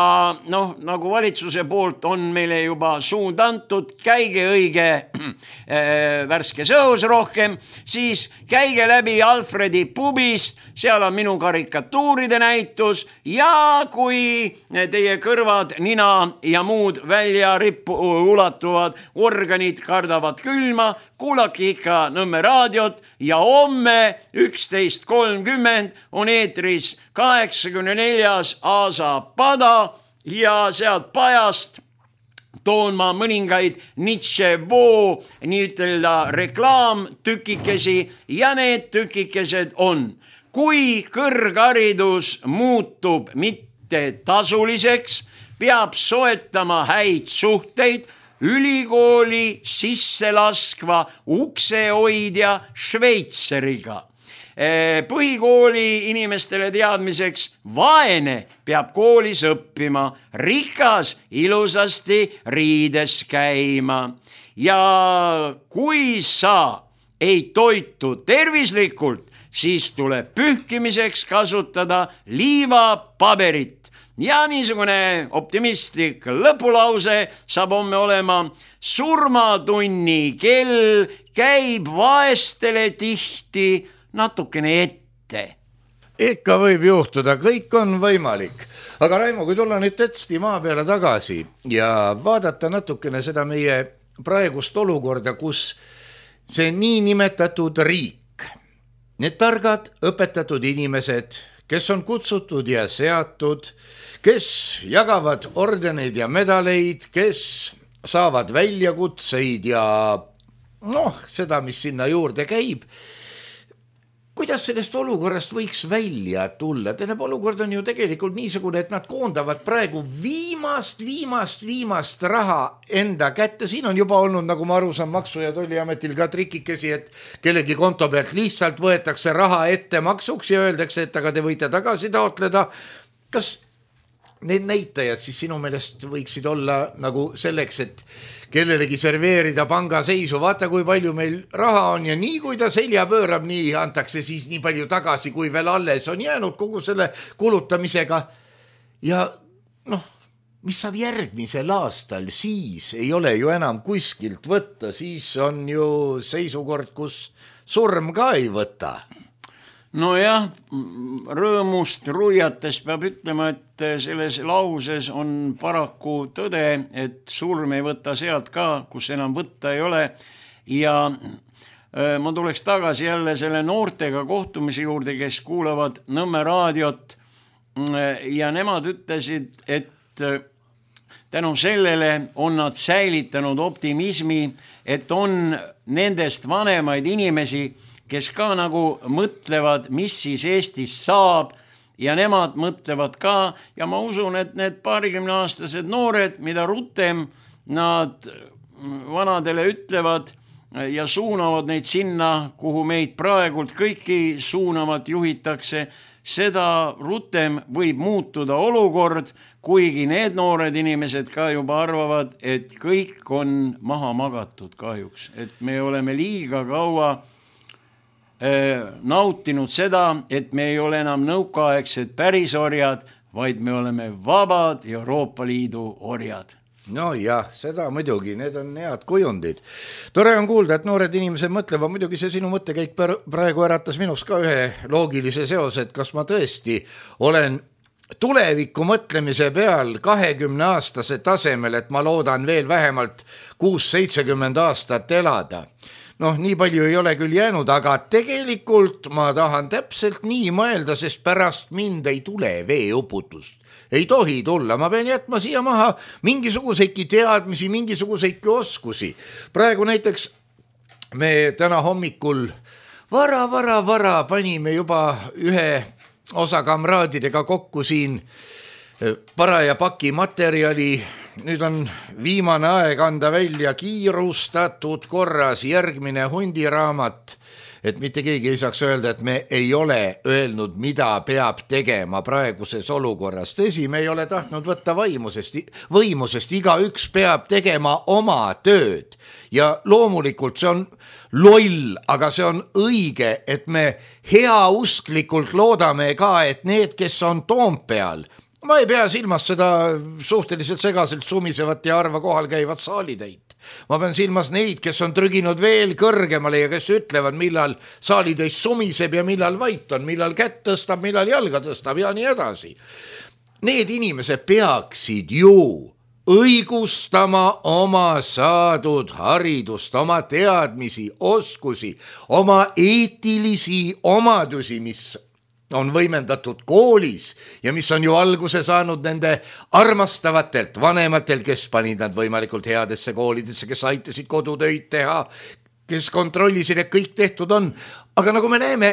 nagu valitsuse poolt on meile juba suund antud, käige õige värskes õhus rohkem, siis käige läbi Alfredi pubist, seal on minu karikatuuride näitus ja kui teie kõrvad, nina ja muud välja ulatuvad organid kardavad külma, kuulake ikka Nõmme raadiot ja homme 11.30 on eetris 84. Aasa pada ja sealt pajast toon ma mõningaid Nitševoo nii ütelda reklaamtükikesi ja need tükikesed on kui kõrgharidus muutub mitte tasuliseks, peab soetama häid suhteid ülikooli sisse laskva uksehoidja Šveitseriga. Põhikooli inimestele teadmiseks, vaene peab koolis õppima, rikas ilusasti riides käima. Ja kui sa ei toitu tervislikult, siis tuleb pühkimiseks kasutada liivapaberit. Ja niisugune optimistlik lõpulause saab homme olema: surmatunni kell käib vaestele tihti natukene ette. Ikka võib juhtuda, kõik on võimalik. Aga Raimo, kui tulla nüüd tetsti maa peale tagasi ja vaadata natukene seda meie praegust olukorda, kus see niinimetatud riik, need targad õpetatud inimesed, kes on kutsutud ja seatud, kes jagavad ordeneid ja medaleid, kes saavad väljakutseid ja seda, mis sinna juurde käib. Kuidas sellest olukorrast võiks välja tulla? Tähendab, olukord on ju tegelikult niisugune, et nad koondavad praegu viimast raha enda kätte. Siin on juba olnud, nagu ma aru saan, Maksu- ja Tolliametil ka trikikesi, et kellegi konto pealt lihtsalt võetakse raha ette maksuks ja öeldakse, et aga te võite tagasi taotleda. Kas need näitajad siis sinu meelest võiksid olla nagu selleks, et kellelegi serveerida panga seisu, vaata kui palju meil raha on ja nii kui ta selja pöörab, nii antakse siis nii palju tagasi, kui veel alles on jäänud kogu selle kulutamisega. Ja mis saab järgmisel aastal, siis ei ole ju enam kuskilt võtta, siis on ju seisukord, kus surm ka ei võta. Nojah, rõõmust ruiates peab ütlema, et selles lauses on paraku tõde, et surm ei võta sealt ka, kus enam võtta ei ole. Ja ma tuleks tagasi jälle selle noortega kohtumise juurde, kes kuulavad Nõmme raadiot, ja nemad ütlesid, et tänu sellele on nad säilitanud optimismi, et on nendest vanemaid inimesi, kes ka nagu mõtlevad, mis siis Eestis saab, ja nemad mõtlevad ka, ja ma usun, et need 20-aastased noored, mida rutem nad vanadele ütlevad ja suunavad neid sinna, kuhu meid praegult kõiki suunavalt juhitakse, seda rutem võib muutuda olukord, kuigi need noored inimesed ka juba arvavad, et kõik on maha magatud kahjuks, et me oleme liiga kaua nautinud seda, et me ei ole enam nõukaaegsed pärisorjad, vaid me oleme vabad Euroopa Liidu orjad. No jah, seda muidugi, need on head kujundid. Tore on kuulda, et noored inimesed mõtlevad, muidugi see sinu mõttekäik praegu äratas minus ka ühe loogilise seose, et kas ma tõesti olen tuleviku mõtlemise peal 20-aastase tasemel, et ma loodan veel vähemalt 6-70 aastat elada. Nii palju ei ole küll jäänud, aga tegelikult ma tahan täpselt nii mõelda, sest pärast mind ei tule veeuputust. Ei tohi tulla, ma pean jätma siia maha mingisuguseidki teadmisi, mingisuguseidki oskusi. Praegu näiteks me täna hommikul vara panime juba ühe osa kamraadidega kokku siin paraja paki materjali. Nüüd on viimane aeg anda välja kiirustatud korras järgmine hundiraamat, et mitte keegi ei saaks öelda, et me ei ole öelnud, mida peab tegema praeguses olukorras. Tõsi, me ei ole tahtnud võtta võimusest, igaüks peab tegema oma tööd ja loomulikult see on loll, aga see on õige, et me heausklikult loodame ka, et need, kes on Toompeal, ma ei pea silmas seda suhteliselt segaselt sumisevat ja harva kohal käivat saalitäit. Ma pean silmas neid, kes on trüginud veel kõrgemale ja kes ütlevad, millal saalitäis sumiseb ja millal vait on, millal kätt tõstab, millal jalga tõstab ja nii edasi. Need inimesed peaksid ju õigustama oma saadud haridust, oma teadmisi, oskusi, oma eetilisi omadusi, mis on võimendatud koolis ja mis on ju alguse saanud nende armastavatelt vanematel, kes panid nad võimalikult headesse koolidesse, kes aitasid kodutöid teha, kes kontrollisid, et kõik tehtud on. Aga nagu me näeme,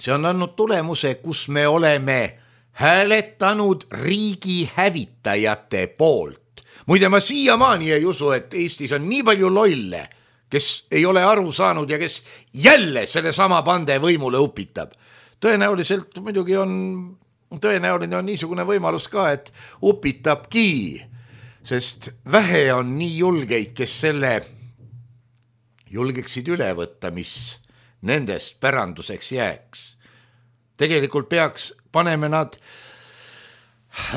see on andnud tulemuse, kus me oleme hääletanud riigi hävitajate poolt. Muide, ma siiamaani ei usu, et Eestis on nii palju lolle, kes ei ole aru saanud ja kes jälle selle sama pande võimule upitab. Tõenäoliselt muidugi tõenäoline on niisugune võimalus ka, et upitabki, sest vähe on nii julgeid, kes selle julgeksid üle võtta, mis nendest päranduseks jääks. Tegelikult peaks paneme nad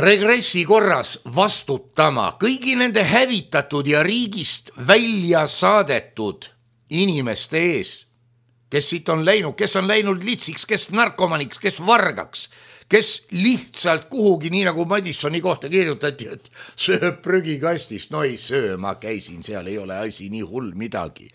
regressi korras vastutama kõigi nende hävitatud ja riigist välja saadetud inimeste ees, kes siit on läinud, kes on läinud litsiks, kes narkomaniks, kes vargaks, kes lihtsalt kuhugi, nii nagu Madissoni kohta kirjutati, et sööb prügikastist. No ei söö, ma käisin seal, ei ole asi nii hull midagi.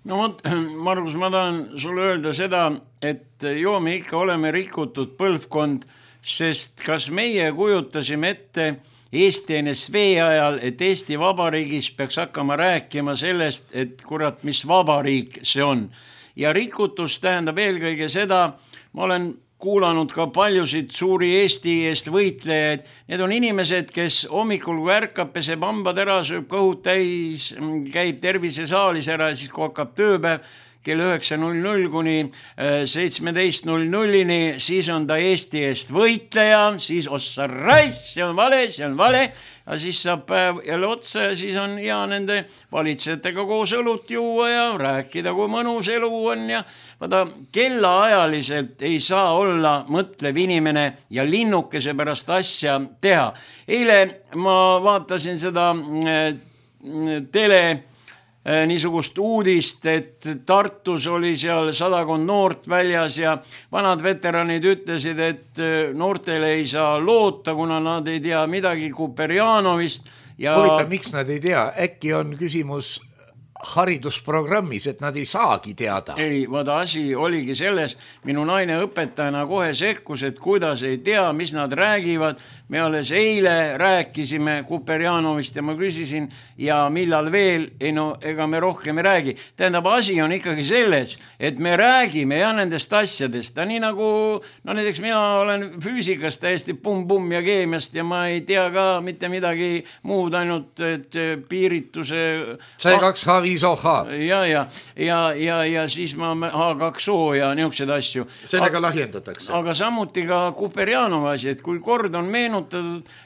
No Margus, ma tahan sulle öelda seda, et joo, me ikka oleme rikutud põlvkond, sest kas meie kujutasime ette Eesti NSV ajal, et Eesti Vabariigis peaks hakkama rääkima sellest, et kurat, mis vabariik see on. Ja rikutus tähendab eelkõige seda, ma olen kuulanud ka paljusid suuri Eesti eest võitlejaid. Need on inimesed, kes hommikul kui ärkab, peseb hambad ära, sööb kõhud täis, käib tervisesaalis ära ja siis kui hakkab tööpäev kell 9.00 kuni 17.00, siis on ta Eesti eest võitleja, siis ossa raiss, see on vale, ja siis saab päev jälle otsa ja siis on hea nende valitsejatega koos õlut juua ja rääkida, kui mõnus elu on ja vaata, kellaajaliselt ei saa olla mõtlev inimene ja linnukese pärast asja teha. Eile ma vaatasin seda niisugust uudist, et Tartus oli seal 100 noort väljas ja vanad veteranid ütlesid, et noortele ei saa loota, kuna nad ei tea midagi Kuperjanovist. Huvitav, miks nad ei tea? Äkki on küsimus haridusprogrammis, et nad ei saagi teada. Ei, vaata, asi oligi selles, minu naine õpetajana kohe sekkus, et kuidas ei tea, mis nad räägivad. Me alles eile rääkisime Kuperjanovist ja ma küsisin, ja millal veel, ega me rohkem ei räägi. Tähendab, asi on ikkagi selles, et me räägime ja nendest asjadest. Ta nii nagu, näiteks mina olen füüsikast täiesti pumm ja keemiast ja ma ei tea ka mitte midagi muud, ainult et piirituse... C2H5OH. Ja siis ma H2O ja niisugused asju. Sellega lahjendatakse. Aga samuti ka Kuperjanova asi, et kui kord on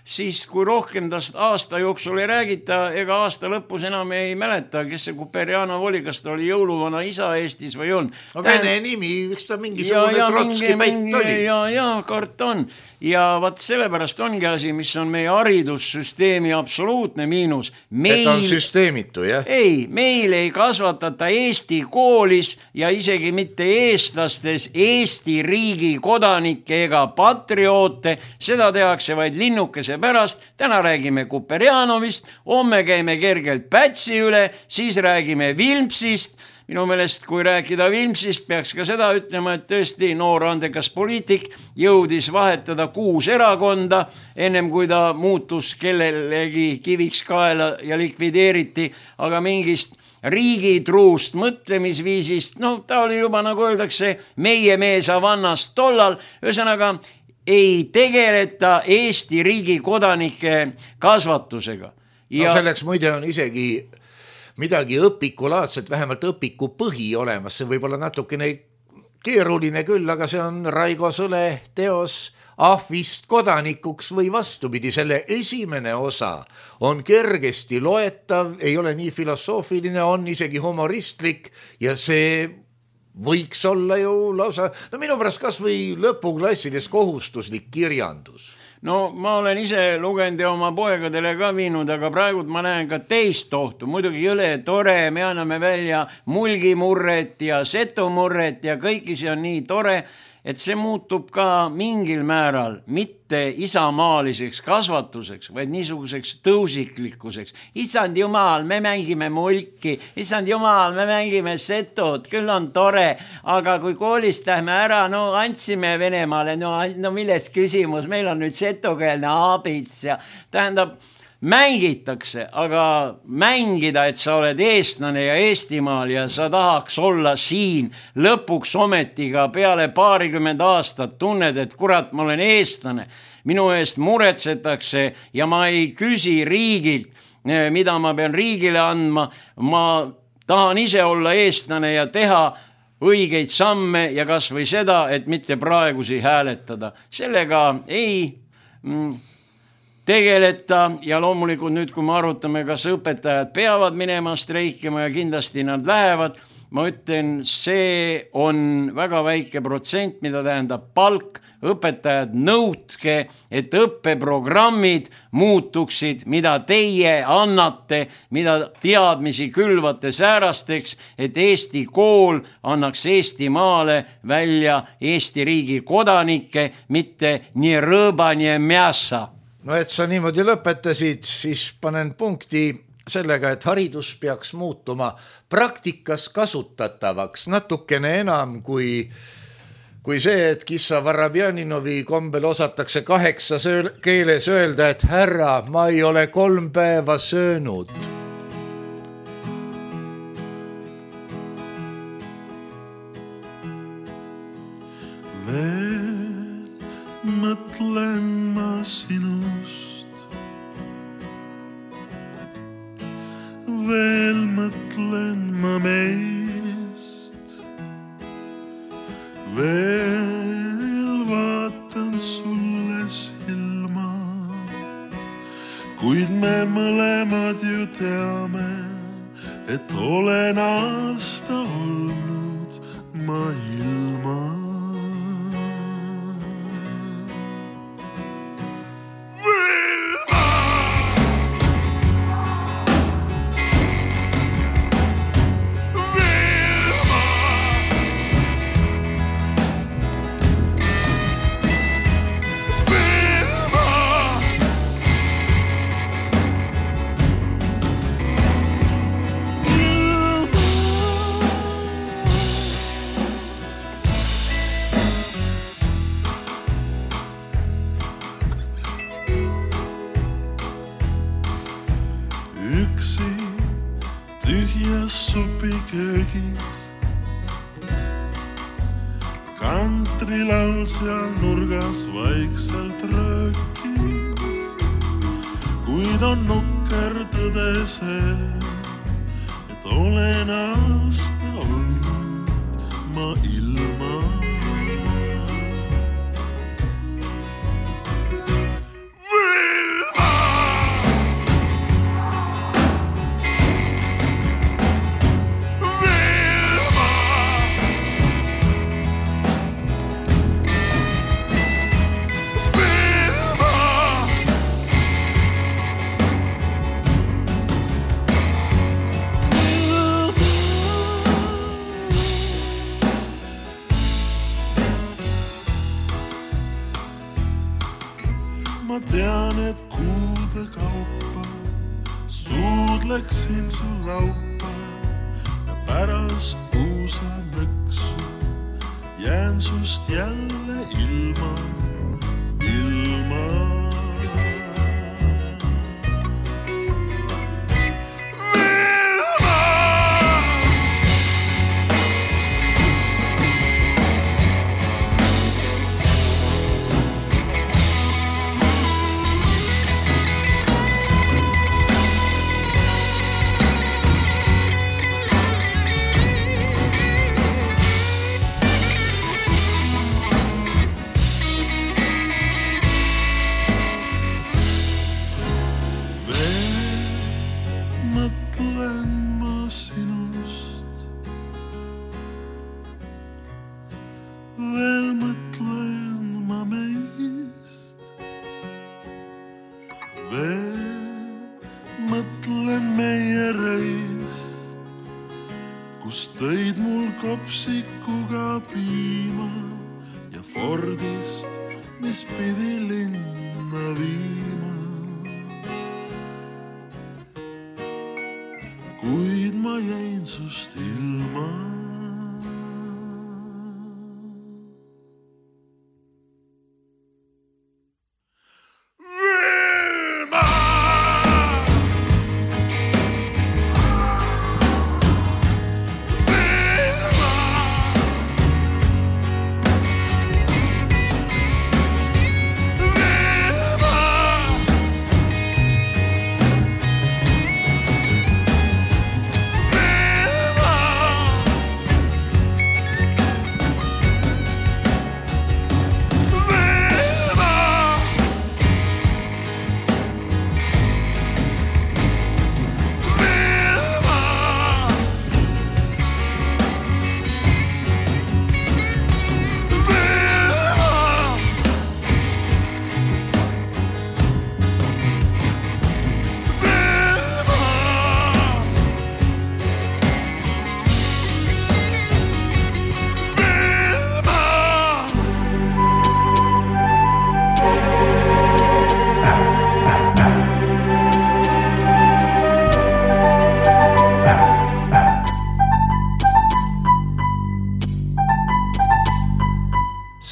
siis kui rohkem tast aasta jooksul ei räägita, ega aasta lõpus enam ei mäleta, kes see Kuperjanov oli, kas ta oli jõuluvana isa Eestis või on. Vene nimi, üks ta mingisugune Trotski päit oli. Ja, kart on. Ja vaat sellepärast ongi asi, mis on meie haridussüsteemi absoluutne miinus. Et on süsteemitu, jah? Ei, meil ei kasvatata Eesti koolis ja isegi mitte eestlastes Eesti riigi kodanikke ega patrioote. Seda tehakse vaid linnukese pärast. Täna räägime Kuperjanovist, homme käime kergelt Pätsi üle, siis räägime Vilmsist. Minu meelest, kui rääkida Vilmsist, peaks ka seda ütlema, et tõesti noor andekas poliitik jõudis vahetada 6 erakonda, ennem kui ta muutus kellelegi kiviks kaela ja likvideeriti, aga mingist riigitruust mõtlemisviisist, ta oli juba, nagu öeldakse, meie mees Havannast tollal, ühesõnaga ei tegeleta Eesti riigi kodanike kasvatusega. Selleks muide on isegi midagi õpikulaadset, vähemalt õpiku põhi olemas, see võib olla natukene keeruline küll, aga see on Raigo Sõle teos Ahvist kodanikuks või vastupidi. Selle esimene osa on kergesti loetav, ei ole nii filosoofiline, on isegi humoristlik ja see võiks olla ju lausa, minu pärast kas või lõpuklassides kohustuslik kirjandus. Ma olen ise lugenud ja oma poegadele ka viinud, aga praegu ma näen ka teist ohtu. Muidugi jõle tore, me anname välja mulgimurret ja setomurret ja kõiki see on nii tore, et see muutub ka mingil määral mitte isamaaliseks kasvatuseks, vaid niisuguseks tõusiklikkuseks. Issand jumal, me mängime mulki, issand jumal, me mängime setot, küll on tore, aga kui koolist lähme ära, andsime Venemaale, milles küsimus, meil on nüüd setokeelne aabits ja tähendab, mängitakse, aga mängida, et sa oled eestlane ja Eestimaal ja sa tahaks olla siin lõpuks ometiga peale 20 aastat tunned, et kurat, ma olen eestlane, minu eest muretsetakse ja ma ei küsi riigilt, mida ma pean riigile andma, ma tahan ise olla eestlane ja teha õigeid samme ja kas või seda, et mitte praegusi hääletada. Sellega ei tegeleta ja loomulikult nüüd, kui me arutame, kas õpetajad peavad minema streikima ja kindlasti nad lähevad, ma ütlen, see on väga väike protsent, mida tähendab palk. Õpetajad nõudke, et õppeprogrammid muutuksid, mida teie annate, mida teadmisi külvate säärasteks, et Eesti kool annaks Eestimaale välja Eesti riigi kodanikke, mitte nii rõõba, nii mässa. No et sa niimoodi lõpetasid, siis panen punkti sellega, et haridus peaks muutuma praktikas kasutatavaks natukene enam kui see, et Kissa Varabjaninovi kombel osatakse 8 keeles öelda, et härra, ma ei ole 3 päeva söönud. Veel mõtlen ma sinust, veel mõtlen ma meist, veel vaatan sulle silma, kuid me mõlemad ju teame, et olen aasta olnud ma ilma. Kantrilaul seal nurgas vaikselt röökis, kuid on nukker tõde see, et olen aasta olnud ma ilma. Ma tean, et kuude kaupa suudleksin su laupa ja pärast puusamõksu jään sust jälle ilma. Mõtlen meie reist, kus tõid mul kopsikuga piima ja Fordist, mis pidi linna viima. Kuid ma jäin sust ilma. Vilma!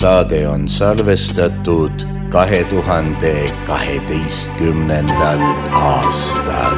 Saade on salvestatud 2012. aastal.